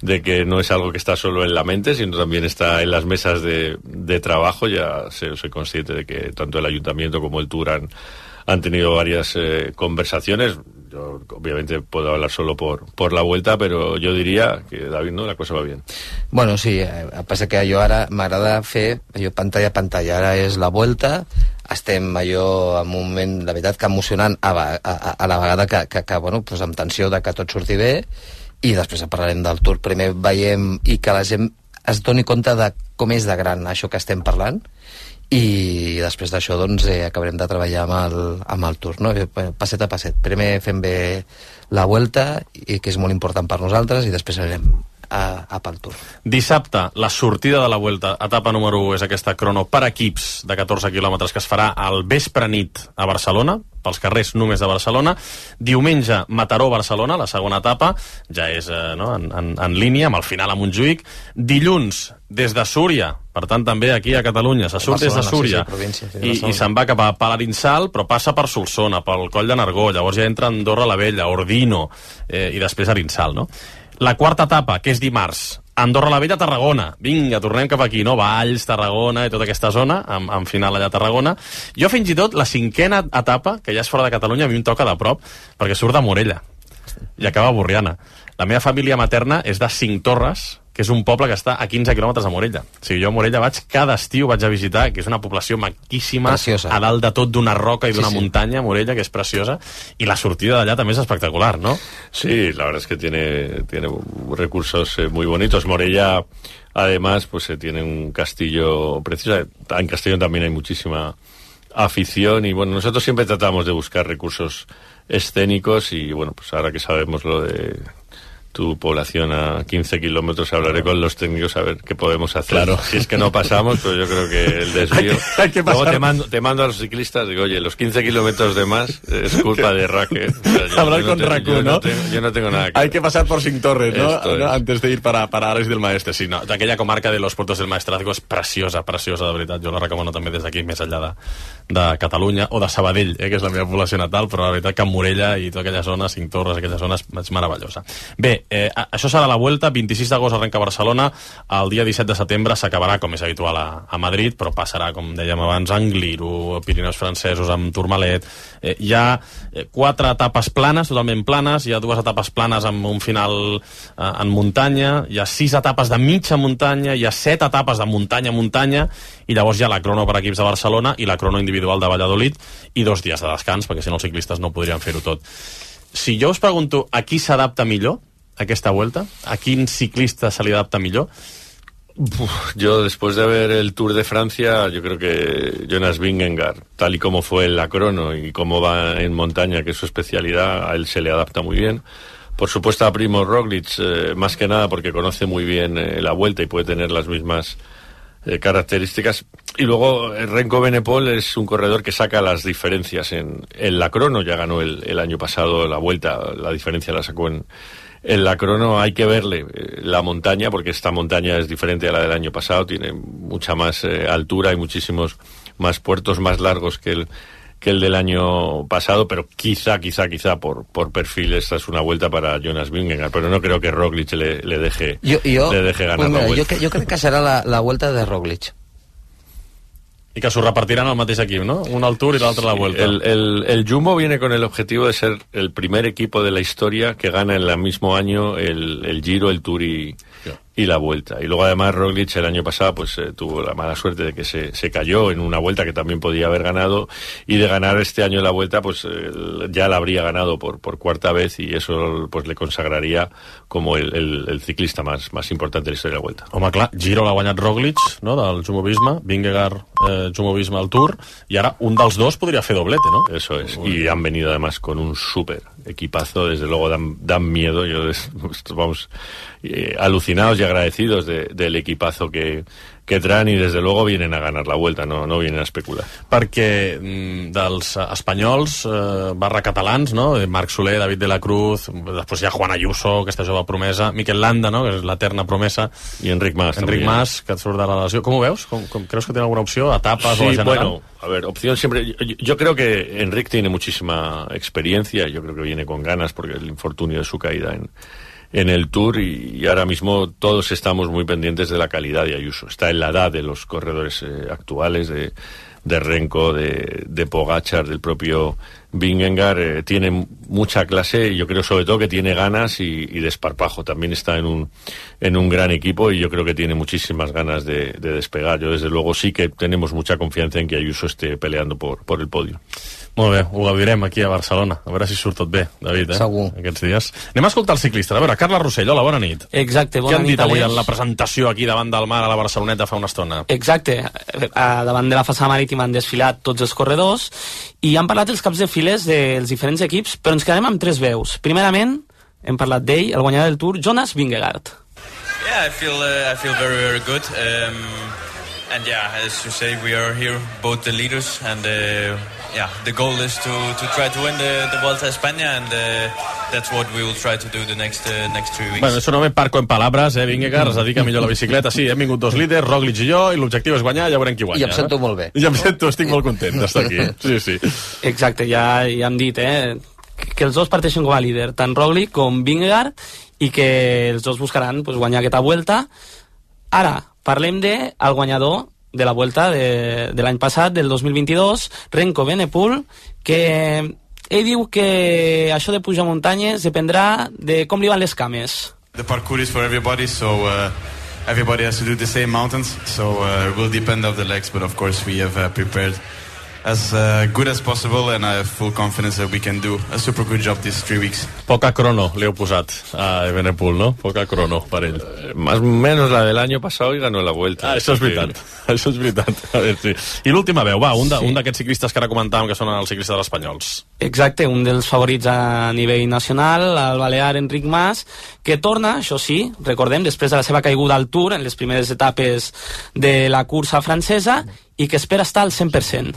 de que no es algo que está solo en la mente, sino también está en las mesas de, de trabajo. Ya sé, soy consciente de que tanto el Ayuntamiento como el Tour han, han tenido varias eh, conversaciones. Yo obviamente puedo hablar solo por, por la Vuelta, però jo diria que, David, no, la cosa va bien. Bueno, sí, eh, passa que jo ara m'agrada fer allò pantalla a pantalla. Ara és la Vuelta, estem allò en un moment, la veritat, que emocionant a, a, a la vegada que, que, que bueno, pues amb tensió de que tot surti bé, i després parlarem del Tour. Primer veiem i que la gent es doni compte de com és de gran això que estem parlant, i després d'això doncs eh, acabarem de treballar amb el, amb el Tour, no? Passet a passet. Primer fem bé la Vuelta, i que és molt important per nosaltres, i després anirem a, a pel Tour. Dissabte, la sortida de la Vuelta, etapa número u és aquesta crono per equips de catorze quilòmetres que es farà al vespre nit a Barcelona, pels carrers només de Barcelona. Diumenge, Mataró-Barcelona, la segona etapa, ja és eh, no, en, en, en línia, amb el final a Montjuïc. Dilluns, des de Súria, per tant també aquí a Catalunya, se surt des de Súria, sí, sí, província, sí, i, i se'n va cap a Palarinsal, però passa per Solsona, pel Coll de Nargó, llavors ja entra Andorra la Vella, Ordino, eh, i després Arinsal, no? La quarta etapa, que és dimarts, Andorra la Vella, Tarragona. Vinga, tornem cap aquí, no? Valls, Tarragona i tota aquesta zona, amb, amb final allà a Tarragona. Jo fins i tot la cinquena etapa, que ja és fora de Catalunya, a mi em toca de prop, perquè surt de Morella i acaba a Borriana. La meva família materna és de Cinctorres, que és un poble que està a quinze quilòmetres de Morella. O sigui, jo a Morella vaig cada estiu, vaig a visitar, que és una població maquíssima, preciosa, a dalt de tot d'una roca i d'una sí, sí. muntanya, Morella, que és preciosa, i la sortida d'allà també és espectacular, ¿no? Sí, la verdad es que tiene, tiene recursos eh, muy bonitos. Morella, además, pues eh, tiene un castillo precioso. En Castellón también hay muchísima afición, y bueno, nosotros siempre tratamos de buscar recursos escénicos, y bueno, pues ahora que sabemos lo de tu población a quince kilómetros, hablaré con los técnicos a ver qué podemos hacer. Claro. Si es que no pasamos, pero yo creo que el desvío... hay que, hay que Luego pasar... te mando, te mando a los ciclistas, digo, oye, los quince kilómetros de más es culpa de Raque. O sea, yo, Hablar yo con no te, Raku, yo ¿no? no tengo, yo no tengo nada que Hay que pasar por Cinctorres, ¿no? Esto ¿no? es. Antes de ir para, para Ares del Maestre. Sí, no, aquella comarca de los Puertos del Maestrazgo és preciosa, preciosa, de veritat. Jo la recomano també des d'aquí, més enllà de, de Catalunya, o de Sabadell, eh, que és la meva població natal, però la veritat que Morella i tota aquella zona, Cinctorres, aquella zona és, és meravellosa. Bé, eh, això serà la Vuelta, vint-i-sis d'agost arrenca a Barcelona, el dia disset de setembre s'acabarà, com és habitual, a, a Madrid, però passarà, com dèiem abans, a Angliru, Pirineus francesos, amb Tourmalet. Eh, hi ha eh, quatre etapes planes, totalment planes, hi ha dues etapes planes amb un final eh, en muntanya, hi ha sis etapes de mitja muntanya, hi ha set etapes de muntanya a muntanya, i llavors hi ha la crono per equips de Barcelona i la crono individual de Valladolid, i dos dies de descans, perquè si no els ciclistes no podrien fer-ho tot. Si jo us pregunto a qui s'adapta millor aquesta Vuelta, a quin ciclista se li adapta millor? Uf, yo, después de ver el Tour de Francia, yo creo que Jonas Vingegaard, tal y como fue en la crono y cómo va en montaña, que es su especialidad, a él se le adapta muy bien. Por supuesto a Primož Roglič, eh, más que nada porque conoce muy bien eh, la Vuelta y puede tener las mismas eh, características. Y luego eh, Renko Benepol es un corredor que saca las diferencias en, en la crono. Ya ganó el, el año pasado la Vuelta, la diferencia la sacó en, en la crono. Hay que verle eh, la montaña, porque esta montaña es diferente a la del año pasado, tiene mucha más eh, altura y muchísimos más puertos, más largos que el que el del año pasado, pero quizá, quizá, quizá por, por perfil esta es una vuelta para Jonas Vingegaard, pero no creo que Roglic le, le, deje, jo, jo, le deje ganar pues mira, la vuelta. Jo, jo crec que serà la, la vuelta de Roglic. I que s'ho repartiran al mateix equip, ¿no? Un al Tour y l'altre a la Vuelta. El, el, el Jumbo viene con el objetivo de ser el primer equipo de la historia que gana en el mismo año el, el Giro, el Tour y, y la Vuelta. Y luego además Roglic el año pasado pues eh, tuvo la mala suerte de que se, se cayó en una Vuelta que también podía haber ganado, y de ganar este año la Vuelta pues eh, ya la habría ganado por, por cuarta vez, y eso pues le consagraría como el, el, el ciclista más, más importante de la historia de la Vuelta. Home, clar, Giro l'ha guanyat Roglic, no?, del Jumbo-Visma, Vingegaard, eh, Jumbo-Visma al Tour, y ahora un dels dos podría fer doblete, ¿no? Eso es, y han venido además con un súper equipazo, desde luego dan, dan miedo, yo vamos eh, alucinados y agradecidos de, del equipazo que, que traen, y desde luego vienen a ganar la Vuelta, no, no vienen a especular. Perquè mm, dels espanyols, eh, barra catalans, no?, Marc Soler, David de la Cruz, després hi ha Juan Ayuso, aquesta jove promesa, Mikel Landa, no?, que és l'eterna promesa, i Enric Mas, Enric també. Mas, que et surt de la lesió. Com ho veus? Com, com, creus que tiene alguna opció? ¿Etapas sí, o a general? Bueno, a ver, opción siempre. Yo, yo creo que Enric tiene muchísima experiencia, yo creo que viene con ganas porque el infortunio de su caída en, en el Tour, y, y ahora mismo todos estamos muy pendientes de la calidad de Ayuso. Está en la edad de los corredores eh, actuales, de, de Renko, de, de Pogačar, del propio Vingegaard. Eh, tiene mucha clase, y yo creo sobre todo que tiene ganas y, y desparpajo. También está en un, en un gran equipo, y yo creo que tiene muchísimas ganas de, de despegar. Yo desde luego sí que tenemos mucha confianza en que Ayuso esté peleando por, por el podio. Molt bé, ho gaudirem aquí a Barcelona. A veure si surt tot bé, David, eh? Segur. Aquests dies. Anem a escoltar els ciclistes. A veure, Carles Rossell, hola, bona nit. Exacte, bona nit. Què han nit, dit avui Aleix? en la presentació aquí davant del mar a la Barceloneta fa una estona? Exacte, a davant de la façana marítima han desfilat tots els corredors i han parlat els caps de files dels diferents equips, però ens quedem amb tres veus. Primerament, hem parlat d'ell, el guanyador del Tour, Jonas Vingegaard. Yeah, I feel uh, I feel very very good. Um, and yeah, as you say, we are here, both the leaders, and uh, yeah, the goal is to to try to win the the Vuelta a España, and uh, that's what we will try to do the next uh, next three weeks. Bueno, eso no me parco en palabras, eh, Vingegaard, es dedica millor a la bicicleta. Sí, hem vingut dos líders, Roglic i jo, i l'objectiu és guanyar, ja veurem qui guanya. I em sento molt bé. I em sento, estic molt content d'estar aquí. Sí, sí. Exacte, ja, ja hem dit, eh, que els dos parteixen com a líder, tant Roglic com Vingegaard, i que els dos buscaran pues, guanyar aquesta Vuelta. Ara, parlem de el guanyador de la Vuelta de, de l'any passat, del dos mil vint-i-dos, Renko Benepul, que ell diu que això de pujar muntanyes dependrà de com li van les cames. The parkour is for everybody, so uh, everybody has to do the same mountains, so uh, it will depend on the legs, but of course we have uh, prepared as uh, good as possible, and I have full confidence that we can do a super good job these three weeks. Poca crono li heu posat a Evenepoel, no? Poca crono per ell. Eh, más o menos la del año pasado, y ganó la Vuelta. Ah, això és veritat. Això és veritat. A veure, sí. I l'última veu, va, un d'aquests sí. ciclistes que ara comentàvem que són els ciclistes espanyols. Exacte, un dels favorits a nivell nacional, el balear Enric Mas, que torna, això sí, recordem, després de la seva caiguda al Tour en les primeres etapes de la cursa francesa, i que espera estar al cent per cent.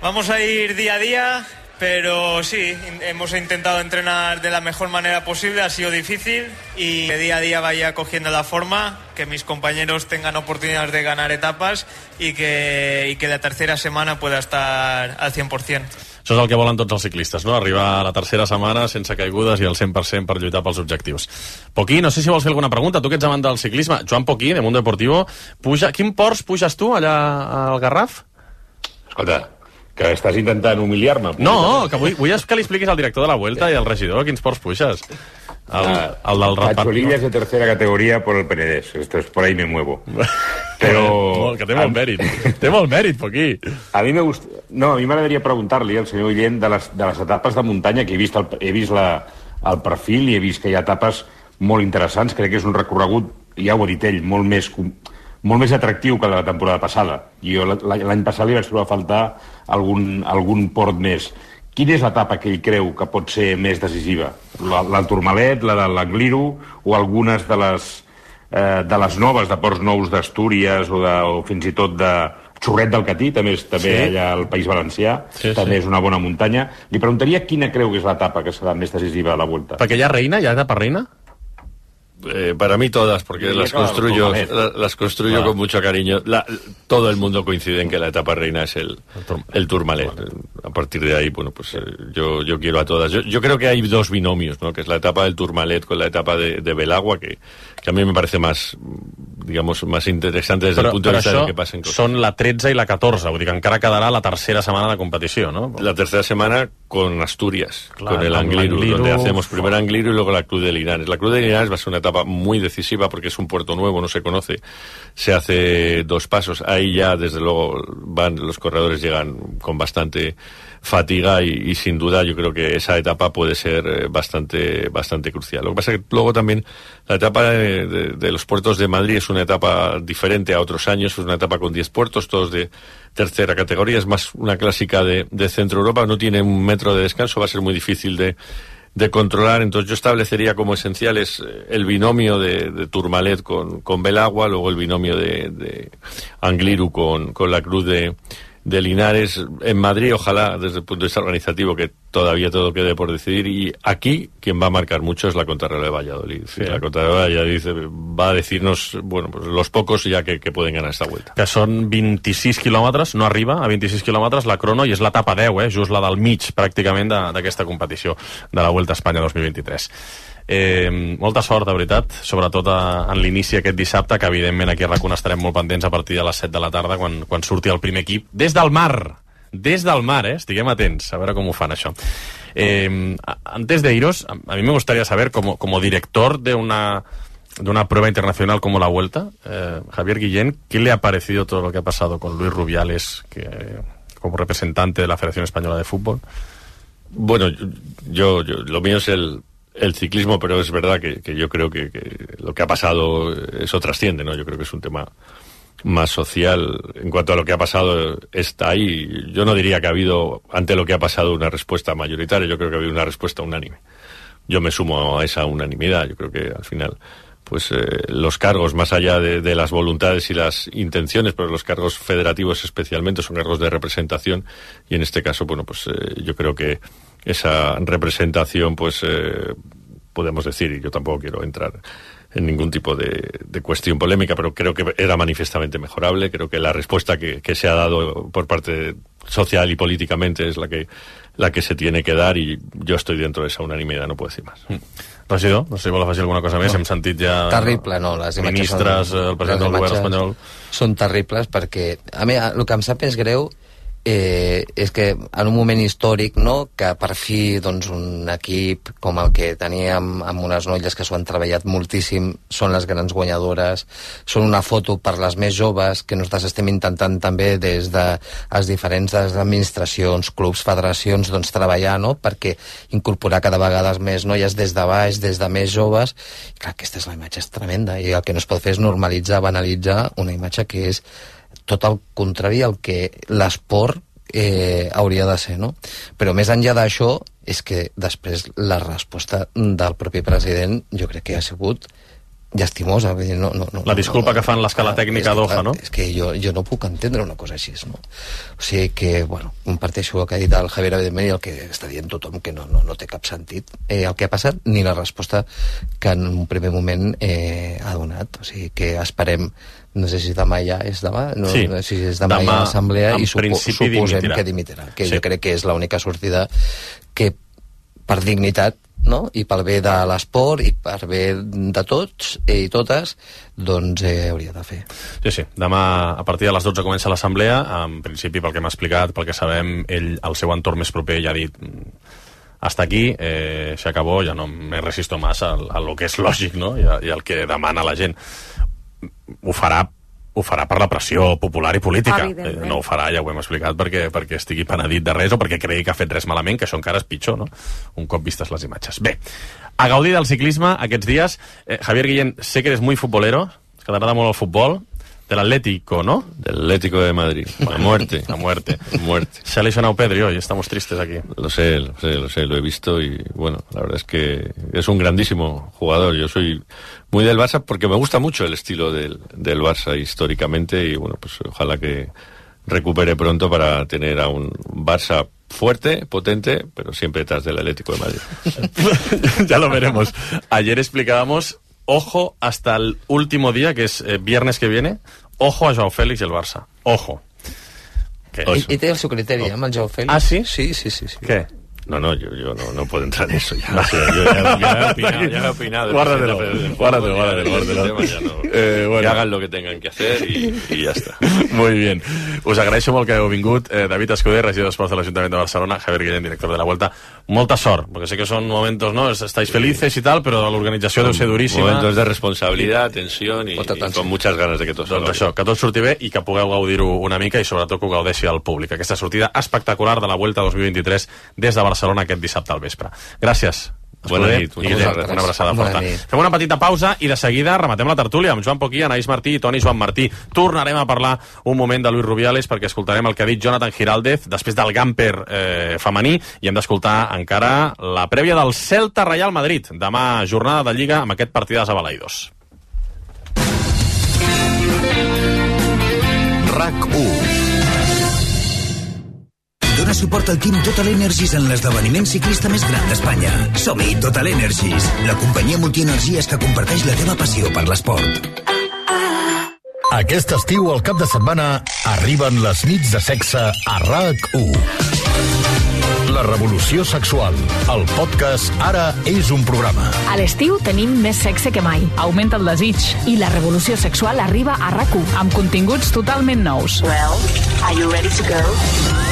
Vamos a ir día a día, pero sí, hemos intentado entrenar de la mejor manera posible, ha sido difícil, y que día a día vaya cogiendo la forma, que mis compañeros tengan oportunidades de ganar etapas y que, y que la tercera semana pueda estar al cien por cent. Això és el que volen tots els ciclistes, no? Arribar a la tercera setmana sense caigudes i al cent per cent per lluitar pels objectius. Poquí, no sé si vols fer alguna pregunta, tu que ets amant del ciclisme. Joan Poquí, de Mundo Deportivo, puja... Quin Porsche puges tu allà al Garraf? Escolta, que estàs intentant humiliar-me. No, que vull, vull que li expliquis al director de la Vuelta i al regidor quins ports puixes. El, el del Cacholillas de tercera categoría por el Penedés. Esto es por ahí me muevo. Pero... que té molt mèrit. Té molt mèrit, Poquí. A mi me gust... No, a mi m'agradaria preguntar-li al senyor Guillem de les, de les etapes de muntanya, que he vist, el, he vist la, el perfil i he vist que hi ha etapes molt interessants. Crec que és un recorregut, ja ho ha dit ell, molt més... molt més atractiu que la temporada passada. Jo l'any passat li vaig trobar a faltar algun, algun port més. Quina és l'etapa que ell creu que pot ser més decisiva? La, la del Tourmalet, la de l'Angliru o algunes de les eh, de les noves, de Ports Nous d'Astúries o, de, o fins i tot de Xurret del Catí, també és també sí. allà al País Valencià, sí, també sí. és una bona muntanya. Li preguntaria quina creu que és l'etapa que serà més decisiva a la Vuelta. Perquè hi ha reina, hi ha etapa reina? Eh, para mí todas, porque sí, las, claro, construyo, la, las construyo claro. con mucho cariño. La, todo el mundo coincide en que la etapa reina es el, el Tourmalet. A partir de ahí, bueno, pues eh, yo, yo quiero a todas. Yo, yo creo que hay dos binomios, ¿no? Que es la etapa del Tourmalet con la etapa de, de Belagua, que, que a mí me parece más, digamos, más interesante desde però, el punto de vista de que pasen cosas. Són la tretze i la catorze, vull dir que encara quedarà la tercera setmana de competició, ¿no? La tercera semana con Asturias, claro, con el Angliru, Angliru, donde hacemos primero Angliru y luego la Cruz de Linares. La Cruz de Linares va a ser una etapa muy decisiva porque es un puerto nuevo, no se conoce, se hace dos pasos, ahí ya desde luego van los corredores, llegan con bastante fatiga y, y sin duda yo creo que esa etapa puede ser bastante bastante crucial. Lo que pasa es que luego también la etapa de, de, de los puertos de Madrid es una etapa diferente a otros años, es una etapa con diez puertos, todos de tercera categoría, es más una clásica de, de Centro Europa, no tiene un metro de descanso, va a ser muy difícil de de controlar, entonces yo establecería como esenciales el binomio de, de Tourmalet con, con Belagua, luego el binomio de, de Angliru con, con la Cruz de, de Linares. En Madrid, ojalá, desde el punto de vista organizativo, que todavía todo quede por decidir, y aquí quien va a marcar mucho es la contrarreloj de Valladolid. Sí. La contrarreloj de Valladolid va a decirnos, bueno, pues los pocos ya que, que pueden ganar esta vuelta. Que són vint-i-sis quilòmetres, no arriba a vint-i-sis quilòmetres la crono, i és l'etapa deu, eh, just la del mig, pràcticament, d'aquesta competició de la Vuelta a Espanya dos mil vint-i-tres. Eh, molta sort, de veritat, sobretot a, en l'inici aquest dissabte, que evidentment aquí a RAC1 estarem molt pendents a partir de les set de la tarda, quan, quan surti el primer equip des del mar, des del mar, eh? Estiguem atents a veure com ho fan això. Eh, antes de iros, a mí me gustaría saber, como, como director de una de una prueba internacional como la Vuelta, eh, Javier Guillén, ¿qué le ha parecido todo lo que ha pasado con Luis Rubiales, que, como representante de la Federación Española de Fútbol? Bueno, yo, yo lo mío es el el ciclismo, pero es verdad que, que yo creo que, que lo que ha pasado eso trasciende, ¿no? Yo creo que es un tema más social. En cuanto a lo que ha pasado, está ahí. Yo no diría que ha habido, ante lo que ha pasado, una respuesta mayoritaria. Yo creo que ha habido una respuesta unánime. Yo me sumo a esa unanimidad. Yo creo que al final, pues eh, los cargos, más allá de, de las voluntades y las intenciones, pero los cargos federativos especialmente son cargos de representación, y en este caso, bueno, pues eh, yo creo que esa representación, pues eh, podemos decir, y yo tampoco quiero entrar en ningún tipo de, de cuestión polémica, pero creo que era manifiestamente mejorable. Creo que la respuesta que, que se ha dado por parte social y políticamente es la que la que se tiene que dar, i jo estic dentro de esa unanimidad, no puedo decir más. Mm. Regidor, no sé si vol afegir alguna cosa més, no. Hem sentit ja... Terrible, no, les imatges ministres, són... el president del govern espanyol... Són terribles perquè, a mi, el que em sap és greu eh, és que en un moment històric, no, que per fi doncs, un equip com el que teníem amb unes noies que s'ho han treballat moltíssim, són les grans guanyadores, són una foto per les més joves, que nosaltres estem intentant també des de les diferents administracions, clubs, federacions, doncs treballar, no?, perquè incorporar cada vegada més noies des de baix, des de més joves. I clar, aquesta és la imatge, és tremenda, i el que no es pot fer és normalitzar, banalitzar una imatge que és tot el contrari al que l'esport eh, hauria de ser, no? Però més enllà d'això, és que després la resposta del propi president jo crec que ha sigut llastimosa. No, no, no, la disculpa no, que fan l'escala tècnica d'Oja, no? És que jo, jo no puc entendre una cosa així, no? O sigui que, bueno, comparteixo el que ha dit el Javier, evidentment, i el que està dient tothom, que no, no, no té cap sentit eh, el que ha passat, ni la resposta que en un primer moment eh, ha donat. O sigui que esperem, no sé si demà ja és demà, no, sí. no sé si és demà, demà ja l'assemblea, i supo, suposem dimitirà. que dimitirà, que sí. Jo crec que és l'única sortida que per dignitat, no?, i pel bé de l'esport i per bé de tots i totes, doncs eh, hauria de fer. Sí, sí, demà a partir de les dotze comença l'assemblea. En principi, pel que m'ha explicat, pel que sabem, ell, el seu entorn més proper ja ha dit hasta aquí, eh, se acabó, ja no me resisto más a, a lo que és lògic, no?, i, a, i el que demana la gent. Ho farà ho farà per la pressió popular i política. Eh, no ho farà, ja ho hem explicat, perquè, perquè estigui penedit de res o perquè cregui que ha fet res malament, que això encara és pitjor, no?, un cop vistes les imatges. Bé, a gaudir del ciclisme aquests dies. Eh, Javier Guillén, sé que eres muy futbolero, que t'agrada molt el futbol. del Atlético, ¿no? Del Atlético de Madrid. A muerte. A muerte. muerte. Se ha lesionado Pedri hoy, estamos tristes aquí. Lo sé, lo sé, lo sé, lo he visto y bueno, la verdad es que es un grandísimo jugador. Yo soy muy del Barça porque me gusta mucho el estilo del, del Barça históricamente y bueno, pues ojalá que recupere pronto para tener a un Barça fuerte, potente, pero siempre detrás del Atlético de Madrid. Ya lo veremos. Ayer explicábamos, ojo hasta el último día, que es eh, viernes que viene, ojo a Joao Félix y el Barça. Ojo. Ell, ell té el seu criteri, eh, amb el Joao Félix. Ah, sí? Sí, sí, sí. sí. Què? No, no, yo, yo no, no puedo entrar en eso ya. O sea, yo ya, ya he opinado, ya he opinado. Guárdatelo, guárdatelo, guárdatelo. guárdatelo. Ya no, eh, bueno. Que hagan lo que tengan que hacer y, y ya está. Muy bien. Us agraeixo molt que heu vingut. Eh, David Escuder, regidor d'Esports de l'Ajuntament de Barcelona, Javier Guillén, director de la Vuelta. Molta sort, porque sé que son momentos, ¿no? Estáis felices y tal, pero la organizació deu ser duríssima. Momentos de responsabilidad, tensión y, y con muchas ganas de que tot doncs això, que tot surti bé i que pugueu gaudir-ho una mica i sobretot que ho gaudeixi al públic. Aquesta sortida espectacular de la Vuelta dos mil vint-i-tres des de Barcelona aquest dissabte al vespre. Gràcies. Bona nit. I Guillem, una abraçada forta. Fem una petita pausa i de seguida rematem la tertúlia amb Joan Poquí, Anaïs Martí i Toni Joan Martí. Tornarem a parlar un moment de Luis Rubiales perquè escoltarem el que ha dit Jonathan Giraldez després del Gamper eh, femení i hem d'escoltar encara la prèvia del Celta Real Madrid. Demà jornada de Lliga amb aquest partidàs a Balaïdos. RAC u. Dona suport al Team Total Energies en l'esdeveniment ciclista més gran d'Espanya. Som-hi, Total Energies, la companyia multienergies que comparteix la teva passió per l'esport. Aquest estiu, al cap de setmana, arriben les nits de sexe a RAC u. La revolució sexual. El podcast Ara és un programa. A l'estiu tenim més sexe que mai. Augmenta el desig. I la revolució sexual arriba a RAC u, amb continguts totalment nous. Well, are you ready to go?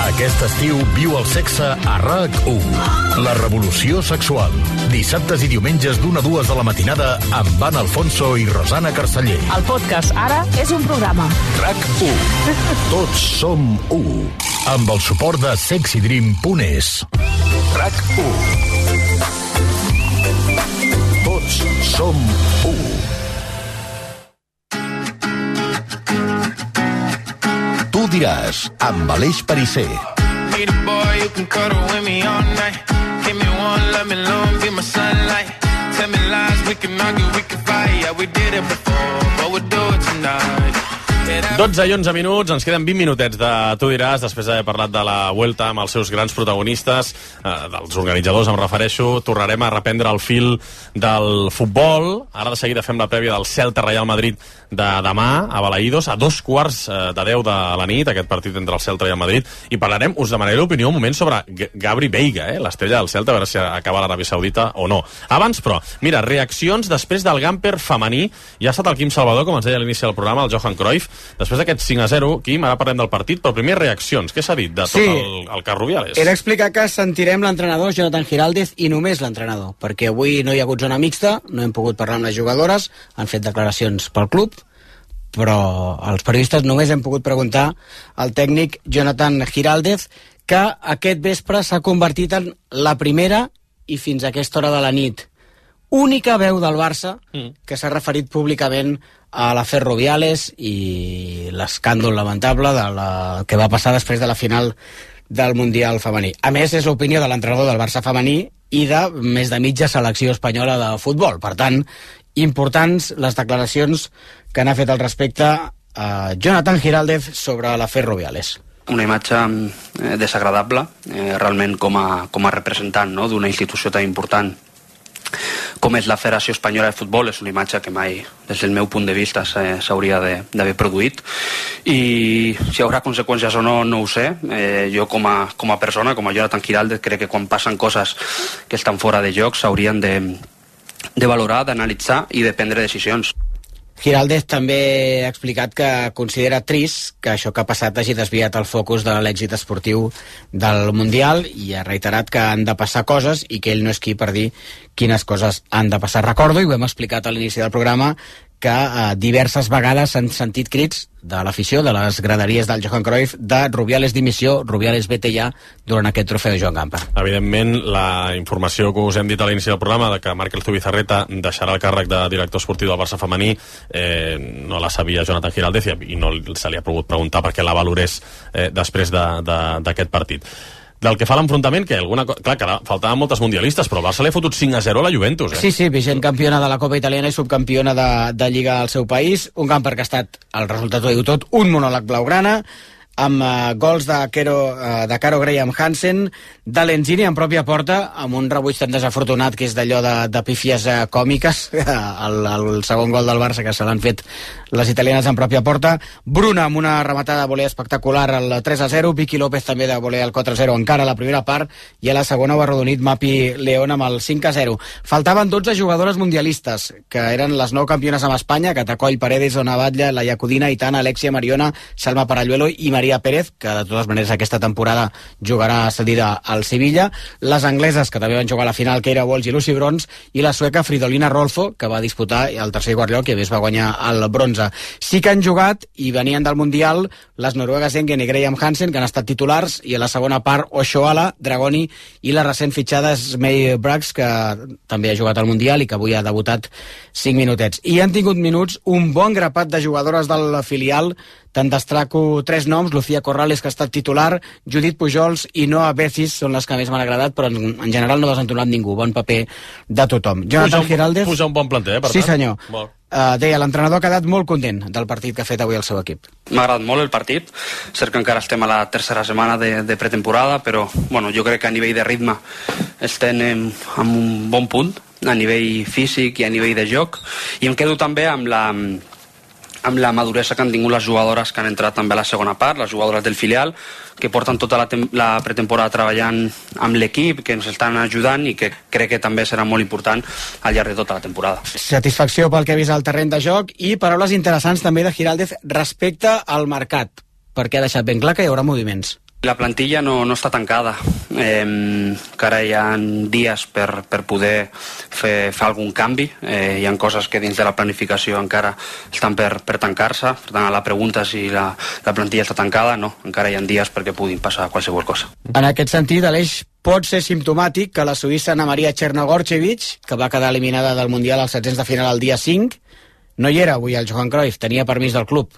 Aquest estiu viu el sexe a RAC u. La revolució sexual. Dissabtes i diumenges d'una a dues de la matinada amb Anna Alfonso i Rosana Carceller. El podcast Ara és un programa. RAC u. Tots som u. Amb el suport de sexy dream punt es. RAC u. Tots som u. Tu diràs, amb Aleix Perisser. Be the boy you can cuddle with me all night. Give me one, let me long, be my sunlight. Tell me lies, we can argue, we can fight. Yeah, we did it before, but we'll do it tonight. dotze i onze minuts, ens queden vint minutets de Tu diràs, després d'haver parlat de la Vuelta amb els seus grans protagonistes, eh, dels organitzadors em refereixo. Tornarem a reprendre el fil del futbol. Ara de seguida fem la prèvia del Celta Real Madrid de demà a Balaïdos, a dos quarts de deu de la nit, aquest partit entre el Celta i el Madrid, i parlarem, us demanaré l'opinió un moment sobre Gabri Veiga, eh, l'estrella del Celta, a veure si acaba a l'Aràbia Saudita o no. Abans, però, mira, reaccions després del Gamper femení. Ja ha estat el Quim Salvador, com ens deia a l'inici del programa, el Johan Cruyff. Després d'aquest cinc a zero, Quim, ara parlem del partit, però primer reaccions. Què s'ha dit de tot sí, el, el cas Rubiales? Era explicar que sentirem l'entrenador Jonathan Giraldez i només l'entrenador, perquè avui no hi ha hagut zona mixta, no hem pogut parlar amb les jugadores, han fet declaracions pel club, però els periodistes només hem pogut preguntar al tècnic Jonathan Giraldez, que aquest vespre s'ha convertit en la primera i fins a aquesta hora de la nit única veu del Barça que s'ha referit públicament a l'afer Rubiales i l'escàndol lamentable de la, que va passar després de la final del Mundial femení. A més, és l'opinió de l'entrenador del Barça femení i de més de mitja selecció espanyola de futbol. Per tant, importants les declaracions que n'ha fet al respecte a Jonathan Giraldez sobre l'afer Rubiales. Una imatge eh, desagradable, eh, realment com a, com a representant, no?, d'una institució tan important com és la Federació Espanyola de Futbol. És una imatge que mai, des del meu punt de vista, s'hauria d'haver produït, i si hi haurà conseqüències o no, no ho sé. Eh, jo com a, com a persona, com a Jonathan Giraldez, crec que quan passen coses que estan fora de joc s'haurien de, de valorar, d'analitzar i de prendre decisions. Giraldez també ha explicat que considera trist que això que ha passat hagi desviat el focus de l'èxit esportiu del Mundial, i ha reiterat que han de passar coses i que ell no és qui per dir quines coses han de passar. Recordo, i ho hem explicat a l'inici del programa, que eh, diverses vegades s'han sentit crits de l'afició, de les graderies del Johan Cruyff, de Rubiales dimissió, Rubiales vete ja, durant aquest trofeu Joan Gamper. Evidentment, la informació que us hem dit a l'inici del programa de que Markel Zubizarreta deixarà el càrrec de director esportiu del Barça femení eh, no la sabia Jonathan Giraldez i no se li ha pogut preguntar perquè la valorés eh, després d'aquest de, de, partit. Del que fa l'enfrontament, que alguna cosa... Clar, que faltaven moltes mundialistes, però el Barça li ha fotut cinc a zero a la Juventus, eh? Sí, sí, vigent campiona de la Copa Italiana i subcampiona de, de Lliga al seu país. Un Gamper que ha estat, el resultat ho diu tot, un monòleg blaugrana, amb uh, gols de, Kero, uh, de Caro Graham Hansen, de Lenzini en pròpia porta, amb un rebuig tan desafortunat que és d'allò de, de pífies uh, còmiques, el, el segon gol del Barça que se l'han fet les italianes en pròpia porta, Bruna amb una rematada de voler espectacular al tres a zero, Vicky López també de voler al quatre a zero encara a la primera part, i a la segona ho ha arrodonit Mapi León amb el cinc a zero. Faltaven dotze jugadores mundialistes, que eren les nou campiones amb Espanya, Catacoll, Paredes, Ona Batlle, Laia Codina, Itana, Alexia Mariona, Salma Paralluelo i Maria Pérez, que de totes maneres aquesta temporada jugarà cedida al Sevilla, les angleses, que també van jugar a la final, Keira Walsh i Lucy Bronze, i la sueca Fridolina Rolfo, que va disputar el tercer i quart lloc i a més va guanyar el bronze. Sí que han jugat i venien del Mundial les noruegues Engen i Graham Hansen, que han estat titulars, i a la segona part Oshoala, Dragoni i la recent fitxada May Braggs, que també ha jugat al Mundial i que avui ha debutat cinc minutets. I han tingut minuts un bon grapat de jugadores del filial. Te'n destaco tres noms: Lucía Corrales, que ha estat titular, Judit Pujols i Noa Becis són les que més m'han agradat, però en, en general no ha desentonat ningú. Bon paper de tothom. Jonathan Giraldez... Puja un bon planter, eh, per sí, tant. senyor. Uh, deia, l'entrenador ha quedat molt content del partit que ha fet avui el seu equip. M'ha agradat molt el partit, cert que encara estem a la tercera setmana de, de pretemporada, però bueno, jo crec que a nivell de ritme estem en, en un bon punt, a nivell físic i a nivell de joc, i em quedo també amb la amb la maduresa que han tingut les jugadores que han entrat també a la segona part, les jugadores del filial, que porten tota la, la pretemporada treballant amb l'equip, que ens estan ajudant i que crec que també serà molt important al llarg de tota la temporada. Satisfacció pel que ha vist al terreny de joc i paraules interessants també de Giraldez respecte al mercat, perquè ha deixat ben clar que hi haurà moviments. La plantilla no, no està tancada, eh, encara hi ha dies per, per poder fer, fer algun canvi, eh, hi ha coses que dins de la planificació encara estan per, per tancar-se, per tant, la pregunta si la, la plantilla està tancada, no, encara hi ha dies perquè puguin passar qualsevol cosa. En aquest sentit, Aleix, pot ser simptomàtic que la suïssa Ana Maria Chernogorchevich, que va quedar eliminada del Mundial als setzents de final el dia cinc, no hi era avui al Johan Cruyff, tenia permís del club.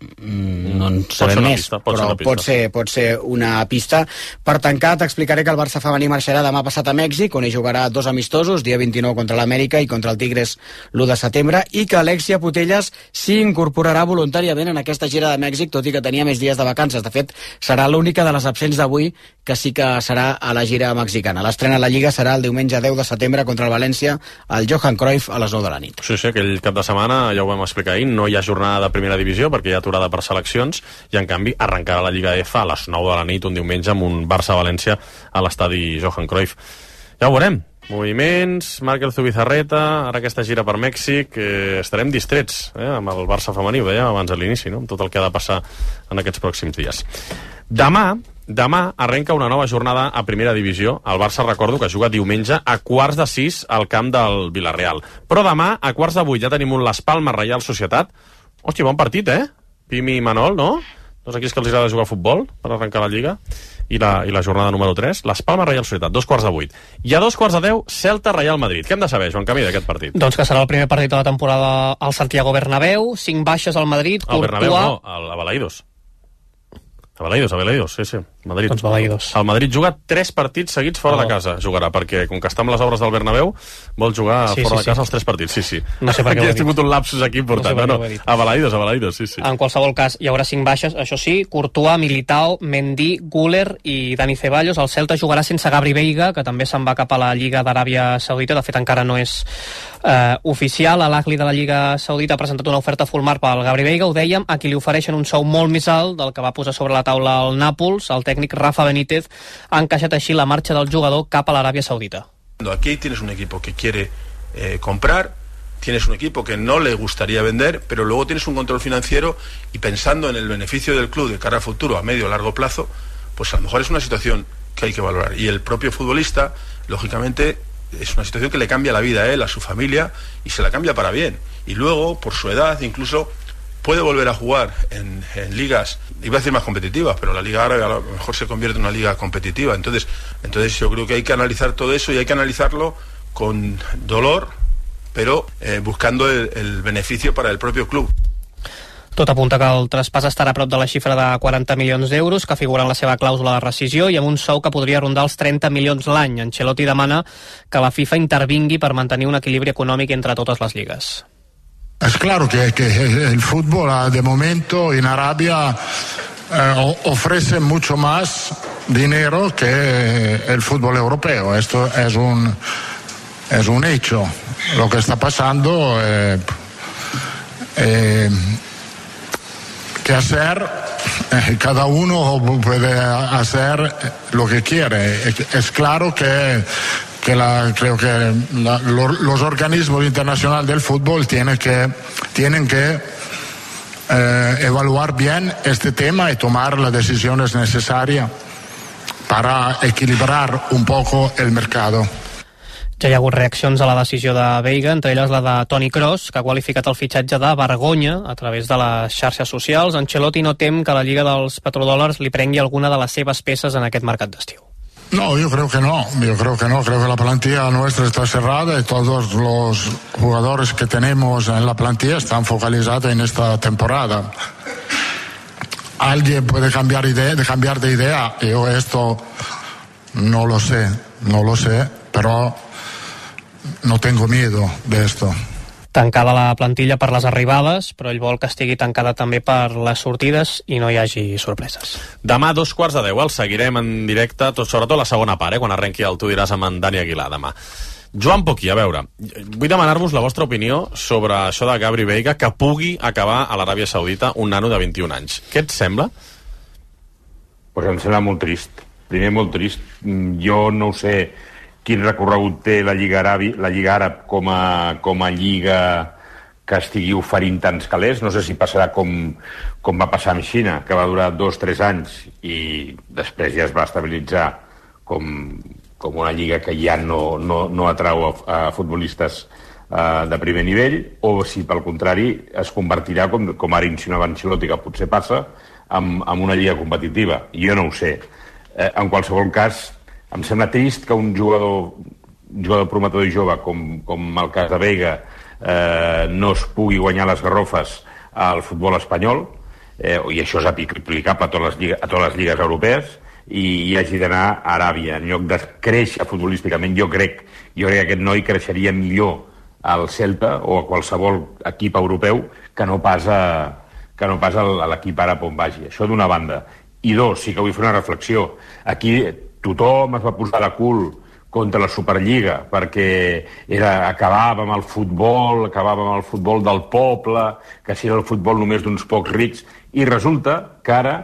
Mm, no en sabem més, pista, pot però pot ser, pot ser una pista. Per tancar, t'explicaré que el Barça femení marxarà demà passat a Mèxic, on hi jugarà dos amistosos, dia vint-i-nou contra l'Amèrica i contra el Tigres l'u de setembre, i que Alexia Putellas s'hi incorporarà voluntàriament en aquesta gira de Mèxic, tot i que tenia més dies de vacances. De fet, serà l'única de les absents d'avui que sí que serà a la gira mexicana. L'estrena a la Lliga serà el diumenge deu de setembre contra el València, al Johan Cruyff, a les nou de la nit. Sí, sí, aquell cap de setmana, ja ho vam explicar ahir, no hi ha jornada de primera divisió perquè hi ha aturada per seleccions, i en canvi arrencarà la Lliga F a les nou de la nit un diumenge amb un Barça-València a l'estadi Johan Cruyff. Ja ho veurem. Moviments, Markel Zubizarreta, ara aquesta gira per Mèxic, eh, estarem distrets eh, amb el Barça femení, ho dèiem abans a l'inici, no? Amb tot el que ha de passar en aquests pròxims dies. Demà, demà arrenca una nova jornada a primera divisió. El Barça, recordo, que juga diumenge a quarts de sis al camp del Villarreal. Però demà, a quarts de vuit, ja tenim un Las Palmas Reial Societat. Hòstia, bon partit, eh? Pimi i Manol, no? Dos equips que els agrada jugar a futbol per arrencar la Lliga. I la, i la jornada número tres, Las Palmas Reial Societat, dos quarts de vuit. I a dos quarts de deu, Celta Real Madrid. Què hem de saber, Joan Camí, d'aquest partit? Doncs que serà el primer partit de la temporada al Santiago Bernabéu, cinc baixes al Madrid, Courtois... Al Bernabéu no, al Balaídos. A Balaídos, a Balaídos, sí, sí. Madrid. Doncs Balaídos. El Madrid juga tres partits seguits fora oh. de casa, jugarà, perquè com que està amb les obres del Bernabéu, vol jugar sí, fora sí, de casa sí. els tres partits, sí, sí. No sé per què aquí ha tingut un lapsus aquí important. No, no, no. A Balaídos, a Balaídos, sí, sí. En qualsevol cas, hi haurà cinc baixes, això sí, Courtois, Militao, Mendy, Güler i Dani Ceballos. El Celta jugarà sense Gabri Veiga, que també se'n va cap a la Lliga d'Aràbia Saudita, de fet encara no és eh, oficial. L'Ahly de la Lliga Saudita ha presentat una oferta full mar pel Gabri Veiga, ho dèiem, a qui li ofereixen un sou molt més alt del que va posar sobre la taula el Nàpols. El tècnic Rafa Benítez ha encaixat així la marxa del jugador cap a l'Aràbia Saudita. Aquí tienes un equipo que quiere eh, comprar, tienes un equipo que no le gustaría vender, pero luego tienes un control financiero y pensando en el beneficio del club de cara al futuro a medio o largo plazo, pues a lo mejor es una situación que hay que valorar. Y el propio futbolista, lógicamente, es una situación que le cambia la vida a él, a su familia, y se la cambia para bien. Y luego, por su edad, incluso puede volver a jugar en, en ligas, iba a decir más competitivas, pero la Liga Árabe a lo mejor se convierte en una liga competitiva. Entonces, entonces yo creo que hay que analizar todo eso y hay que analizarlo con dolor, pero eh, buscando el, el beneficio para el propio club. Tot apunta que el traspàs estarà a prop de la xifra de quaranta milions d'euros, que figura en la seva clàusula de rescisió, i amb un sou que podria rondar els trenta milions l'any. Ancelotti demana que la FIFA intervingui per mantenir un equilibri econòmic entre totes les lligues. Es claro que, que el fútbol de momento en Arabia eh, ofrece mucho más dinero que el fútbol europeo. Esto es un, es un hecho. Lo que está pasando... Eh, eh, ¿Qué hacer? Eh, cada uno puede hacer lo que quiere. Es claro que, que la, creo que la, los, los organismos internacionales del fútbol tienen que, tienen que eh, evaluar bien este tema y tomar las decisiones necesarias para equilibrar un poco el mercado. Ja hi ha hagut reaccions a la decisió de Veiga, entre elles la de Toni Kroos, que ha qualificat el fitxatge de vergonya a través de les xarxes socials. Ancelotti no tem que la Lliga dels Petrodòlars li prengui alguna de les seves peces en aquest mercat d'estiu. No, yo creo que no, yo creo que no, creo que la plantilla nuestra está cerrada y todos los jugadores que tenemos en la plantilla están focalizados en esta temporada. Alguien puede cambiar, idea, de cambiar de idea, yo esto no lo sé, no lo sé, pero no tengo miedo de esto. Tancada la plantilla per les arribades, però ell vol que estigui tancada també per les sortides i no hi hagi sorpreses. Demà, dos quarts de deu, el seguirem en directe, tot, sobretot la segona part, eh, quan arrenqui el Tu diràs amb en Dani Aguilar demà. Joan Poquí, a veure, vull demanar-vos la vostra opinió sobre això de Gabri Veiga, que pugui acabar a l'Aràbia Saudita un nano de vint-i-un anys. Què et sembla? Pues em sembla molt trist. Primer, molt trist. Jo no ho sé quin recorregut té la Lliga Àrab, la Lliga Àrab com a, com a lliga que estigui oferint tants calés. No sé si passarà com, com va passar amb Xina, que va durar dos o tres anys i després ja es va estabilitzar com, com una lliga que ja no, no, no atrau a, a futbolistes uh, de primer nivell, o si pel contrari es convertirà, com, com ara insinuava Ancelotti, que potser passa, en, en una lliga competitiva. Jo no ho sé. Eh, en qualsevol cas, em sembla trist que un jugador, un jugador prometedor i jove, com, com el cas de Veiga, eh, no es pugui guanyar les garrofes al futbol espanyol, eh, i això és aplicable a totes les lligues, a totes les lligues europees, i, i hagi d'anar a Aràbia. En lloc de créixer futbolísticament, jo crec, jo crec que aquest noi creixeria millor al Celta o a qualsevol equip europeu que no pas a, que no pas a l'equip àrab on vagi. Això d'una banda. I dos, sí que vull fer una reflexió. Aquí tothom es va posar de cul contra la Superliga perquè era, acabava amb el futbol, acabava amb el futbol del poble, que si era el futbol només d'uns pocs rics, i resulta que ara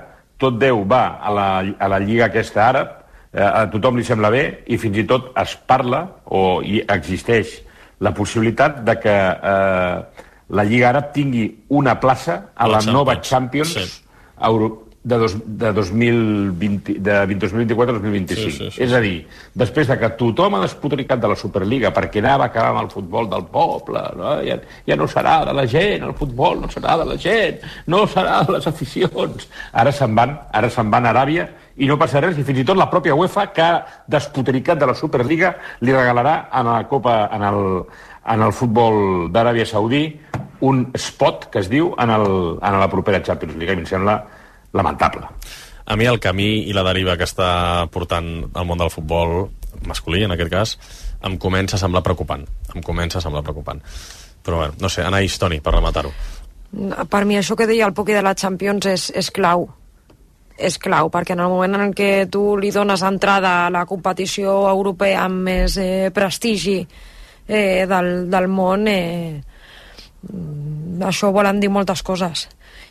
tot Déu va a la, a la lliga aquesta àrab, eh, a tothom li sembla bé, i fins i tot es parla, o hi existeix la possibilitat de que eh, la lliga àrab tingui una plaça a la, la nova Champions sí. Euro, de, dos, de, dos mil vint, de dos mil vint-i-quatre a dos mil vint-i-cinc. Sí, sí, sí. És a dir, després de que tothom ha despotricat de la Superliga perquè anava a acabar amb el futbol del poble, no? Ja, ja no serà de la gent, el futbol no serà de la gent, no serà de les aficions. Ara se'n van, ara se'n van a Aràbia i no passa res, i fins i tot la pròpia UEFA, que ha despotricat de la Superliga, li regalarà en la Copa, en el, en el futbol d'Aràbia Saudí, un spot que es diu en, el, en la propera Champions League. I em sembla lamentable. A mi el camí i la deriva que està portant el món del futbol masculí, en aquest cas, em comença a semblar preocupant. Em comença a semblar preocupant. Però bé, no sé, Anaïs, Toni, per rematar-ho. Per mi això que deia el Poqui de la Champions és, és clau. És clau, perquè en el moment en què tu li dones entrada a la competició europea amb més eh, prestigi eh, del, del món, eh, això volen dir moltes coses.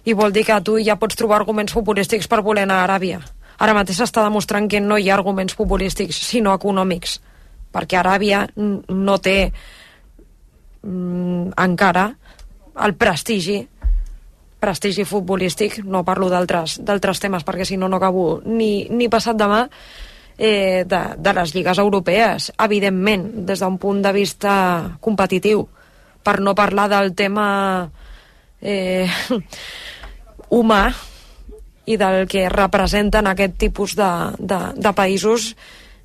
I vol dir que tu ja pots trobar arguments futbolístics per voler anar a Aràbia. Ara mateix s'està demostrant que no hi ha arguments futbolístics, sinó econòmics, perquè Aràbia no té mm, encara el prestigi prestigi futbolístic, no parlo d'altres d'altres temes perquè si no no acabo ni, ni passat demà, eh, de, de les lligues europees, evidentment, des d'un punt de vista competitiu, per no parlar del tema eh, humà i del que representen aquest tipus de, de, de països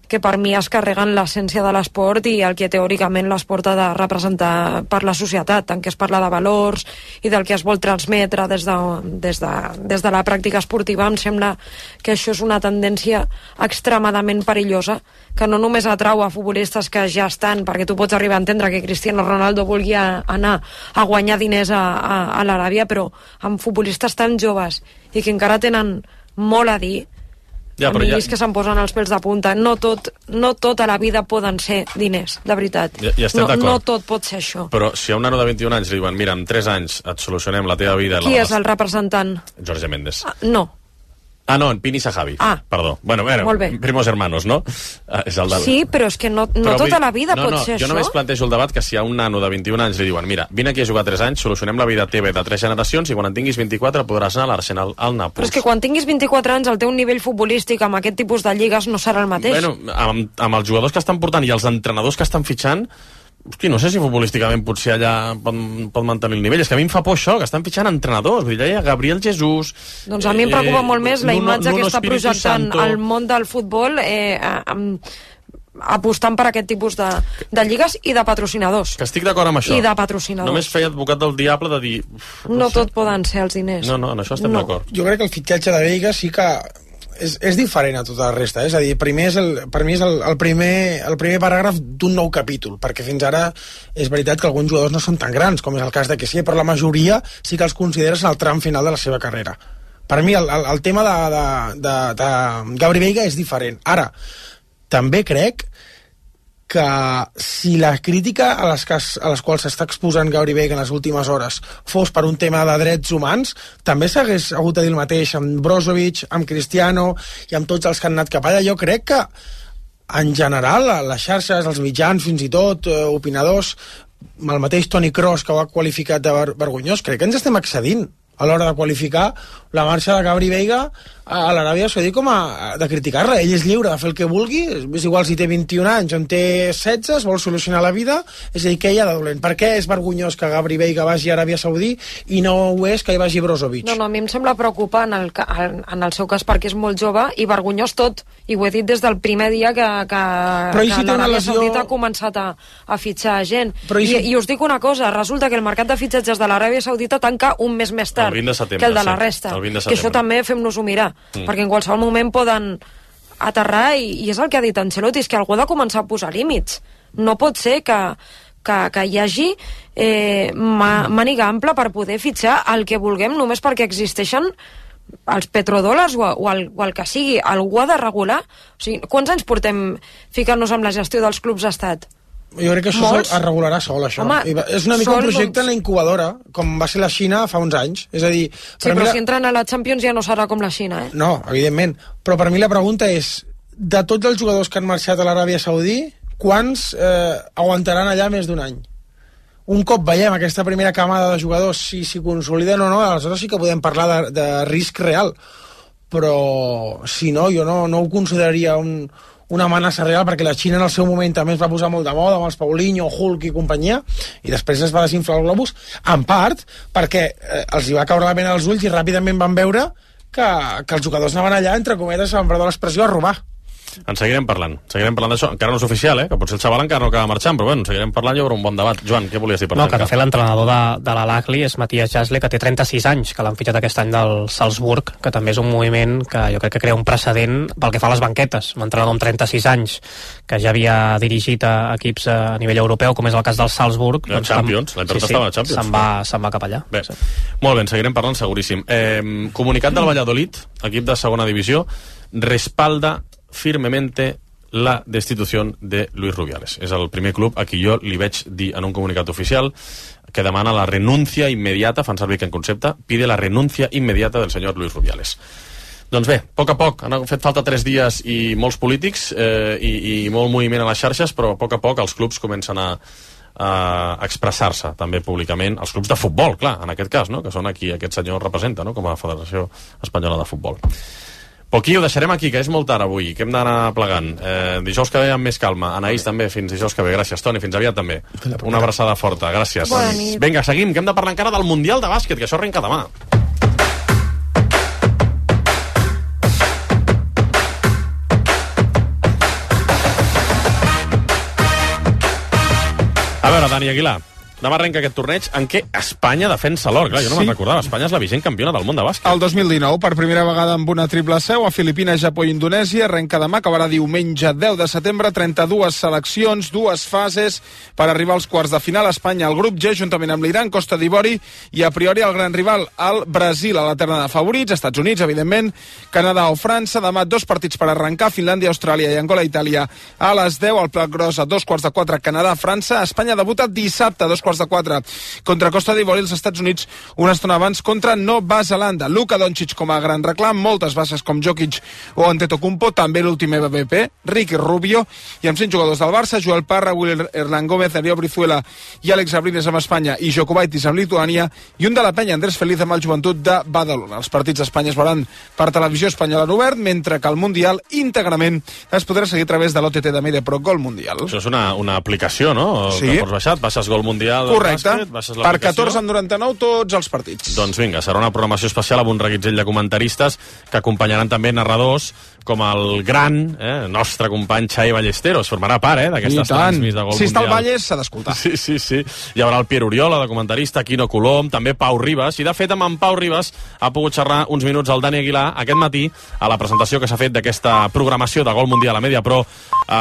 que per mi es carreguen l'essència de l'esport i el que teòricament l'esport ha de representar per la societat, tant que es parla de valors i del que es vol transmetre des de, des de, des de la pràctica esportiva. Em sembla que això és una tendència extremadament perillosa, que no només atrau a futbolistes que ja estan, perquè tu pots arribar a entendre que Cristiano Ronaldo vulgui anar a guanyar diners a, a, a l'Aràbia, però amb futbolistes tan joves i que encara tenen molt a dir. Ja, a mi ja... és que se'm posen els pèls de punta. No tot, no tot a la vida poden ser diners, de veritat. Ja, ja estem no, d'acord. No tot pot ser això. Però si a un nano de vint-i-un anys li diuen mira, en tres anys et solucionem la teva vida... Qui la... és el representant? Jorge Méndez. Ah, no. Ah, no, en Pini Sahabi. Ah. Perdó. Bueno, bueno, Molt bé. primos hermanos, no? Ah, és el del... Sí, però és que no, no Però tota vull... la vida no, pot no, ser jo això. Jo només plantejo el debat que si a un nano de vint-i-un anys li diuen mira, vine aquí a jugar tres anys, solucionem la vida teva de tres generacions i quan en tinguis vint-i-quatre podràs anar a l'Arsenal al Nàpols. Però és que quan tinguis vint-i-quatre anys el teu nivell futbolístic amb aquest tipus de lligues no serà el mateix. Bueno, amb, amb els jugadors que estan portant i els entrenadors que estan fitxant, hosti, no sé si futbolísticament potser allà pot, pot mantenir el nivell. És que a mi em fa por això, que estan fitxant entrenadors. Vull dir, ja hi ha Gabriel Jesús... Doncs a mi em preocupa eh, molt més la Nuno, imatge Nuno que està Espíritu projectant Santo. el món del futbol eh, amb, apostant per aquest tipus de, de lligues i de patrocinadors. Que estic d'acord amb això. I de patrocinadors. Només feia advocat del diable de dir... uf, No, no sé. tot poden ser els diners. No, no, en això estem No. d'acord. Jo crec que el fitxatge de Veiga sí que és, és diferent a tota la resta, eh? És a dir, primer és el, per mi és el, el, primer, el primer paràgraf d'un nou capítol, perquè fins ara és veritat que alguns jugadors no són tan grans, com és el cas de Kessie, però la majoria sí que els consideres en el tram final de la seva carrera. Per mi el, el, el tema de, de, de, de Gabri Veiga és diferent. Ara, també crec que si la crítica a les, que, a les quals s'està exposant Gabri Veiga en les últimes hores fos per un tema de drets humans, també s'hagués hagut de dir el mateix amb Brozovic, amb Cristiano i amb tots els que han anat cap allà. Jo crec que en general les xarxes, els mitjans fins i tot, eh, opinadors, el mateix Toni Kroos que ho ha qualificat de ver vergonyós, crec que ens estem excedint a l'hora de qualificar la marxa de Gabri Veiga a l'Aràbia Saudí com a de criticar-la. Ell és lliure de fer el que vulgui, és igual si té vint-i-un anys o en té setze, es vol solucionar la vida, és a dir, què hi ha de dolent? Per què és vergonyós que Gabri Veiga vagi a Aràbia Saudí i no ho és que hi vagi Brozovic? No, no, a mi em sembla preocupant en el, en el seu cas perquè és molt jove i vergonyós tot, i ho he dit des del primer dia que, que, Però i que si té una l'Aràbia lesió- Saudita ha començat a, a fitxar gent. Però i I, si- I us dic una cosa, resulta que el mercat de fitxatges de l'Aràbia Saudita tanca un mes més tard El vint de setembre, que el de la sí, resta, el vint de que això setembre. també fem-nos-ho mirar, Mm. perquè en qualsevol moment poden aterrar i, i és el que ha dit Ancelotti, és que algú ha de començar a posar límits. No pot ser que, que, que hi hagi eh, mà- màniga ampla per poder fitxar el que vulguem només perquè existeixen els petrodòlars o, o, el, o el que sigui. Algú ha de regular. O sigui, quants anys portem ficant-nos amb la gestió dels clubs d'estat? Jo crec que això Molts. es regularà sol, això. Home, I va- és una mica sol, un projecte doncs- en la incubadora, com va ser la Xina fa uns anys. És a dir, Sí, per mi però la- si entren a la Champions ja no serà com la Xina, eh? No, evidentment. Però per mi la pregunta és, de tots els jugadors que han marxat a l'Aràbia Saudí, quants eh, aguantaran allà més d'un any? Un cop veiem aquesta primera camada de jugadors, si s'hi consoliden o no, aleshores sí que podem parlar de, de risc real. Però, si no, jo no, no ho consideraria un, una amenaça real, perquè la Xina en el seu moment també es va posar molt de moda amb els Paulinho, Hulk i companyia, i després es va desinflar el globus, en part perquè eh, els hi va caure la pena als ulls i ràpidament van veure que, que els jugadors anaven allà, entre cometes, amb perdó l'expressió, a robar. En seguirem parlant, seguirem parlant d'això. Encara no és oficial, eh? Que potser el xaval encara no acaba marxant, però bueno, seguirem parlant i hi haurà un bon debat. Joan, què volies dir per No, que tancar? de fet l'entrenador de, de l'Al-Ahly és Matías Jasle, que té trenta-sis anys, que l'han fitxat aquest any del Salzburg, que també és un moviment que jo crec que crea un precedent pel que fa a les banquetes. Un entrenador amb trenta-sis anys, que ja havia dirigit a equips a nivell europeu, com és el cas del Salzburg. La Champions, l'any passat estava a la Champions. Se'n va, se'n va cap allà. Bé, sí. Molt bé, en seguirem parlant seguríssim. Eh, comunicat del Valladolid, equip de segona divisió, respalda firmemente la destitución de Luis Rubiales. És el primer club a qui jo li veig dir en un comunicat oficial que demana la renuncia inmediata, fan servir que en concepte, pide la renuncia inmediata del senyor Luis Rubiales. Doncs bé, a poc a poc, han fet falta tres dies i molts polítics eh, i, i molt moviment a les xarxes, però a poc a poc els clubs comencen a, a expressar-se també públicament, els clubs de futbol, clar, en aquest cas, no? Que són aquí aquest senyor representa, no? Com a Federació Espanyola de Futbol. Però aquí ho deixarem aquí, que és molt tard avui, que hem d'anar plegant. Eh, dijous que ve amb més calma. Anaïs també, fins dijous que ve. Gràcies, Toni, fins aviat també. Una abraçada forta, gràcies. Bona nit. Vinga, seguim, que hem de parlar encara del Mundial de Bàsquet, que això arrenca demà. A veure, Dani Aguilar, demà arrenca aquest torneig en què Espanya defensa l'or. Clar, jo no sí. me'n recordava. Espanya és la vigent campiona del món de bàsquet. El dos mil dinou, per primera vegada amb una triple seu a Filipines, Japó i Indonèsia, arrenca demà, acabarà diumenge deu de setembre, trenta-dues seleccions, dues fases per arribar als quarts de final. Espanya al grup G, juntament amb l'Iran, Costa d'Ivori i a priori el gran rival, el Brasil, a la terna de favorits, Estats Units, evidentment, Canadà o França. Demà dos partits per arrencar, Finlàndia, Austràlia i Angola, Itàlia a les deu, el plat gros a dos quarts de quatre, Canadà, França. Espanya debuta dissabte a dos quarts de quatre contra Costa d'Ivori, els Estats Units una estona abans contra Nova Zelanda. Luka Doncic com a gran reclam, moltes bases com Jokic o Antetokounmpo, també l'últim M V P, Ricky Rubio, i amb cinc jugadors del Barça, Joel Parra, Will Hernán Gómez, Darío Brizuela i Àlex Abrines amb Espanya i Jokubaitis amb Lituània, i un de la penya, Andrés Feliz amb el Joventut de Badalona. Els partits d'Espanya es veuran per televisió espanyola en obert, mentre que el Mundial íntegrament es podrà seguir a través de l'O T T de MediaPro Gol Mundial. Això és una, una aplicació, no? Sí. Que pots baixar, baixes Gol Mundial. Correcte. Bàsquet, per catorze coma noranta-nou tots els partits. Doncs vinga, serà una programació especial amb un reguitzell de comentaristes que acompanyaran també narradors com el gran, eh, nostre company Xavi Ballesteros. Formarà part, eh, d'aquestes transmis de Gol si Mundial. Si està al Valles, s'ha d'escoltar. Sí, sí, sí. Hi haurà el Pierre Oriola, de comentarista, Quino Colom, també Pau Ribas, i de fet amb en Pau Ribas ha pogut xerrar uns minuts al Dani Aguilar aquest matí a la presentació que s'ha fet d'aquesta programació de Gol Mundial a MediaPro. Eh,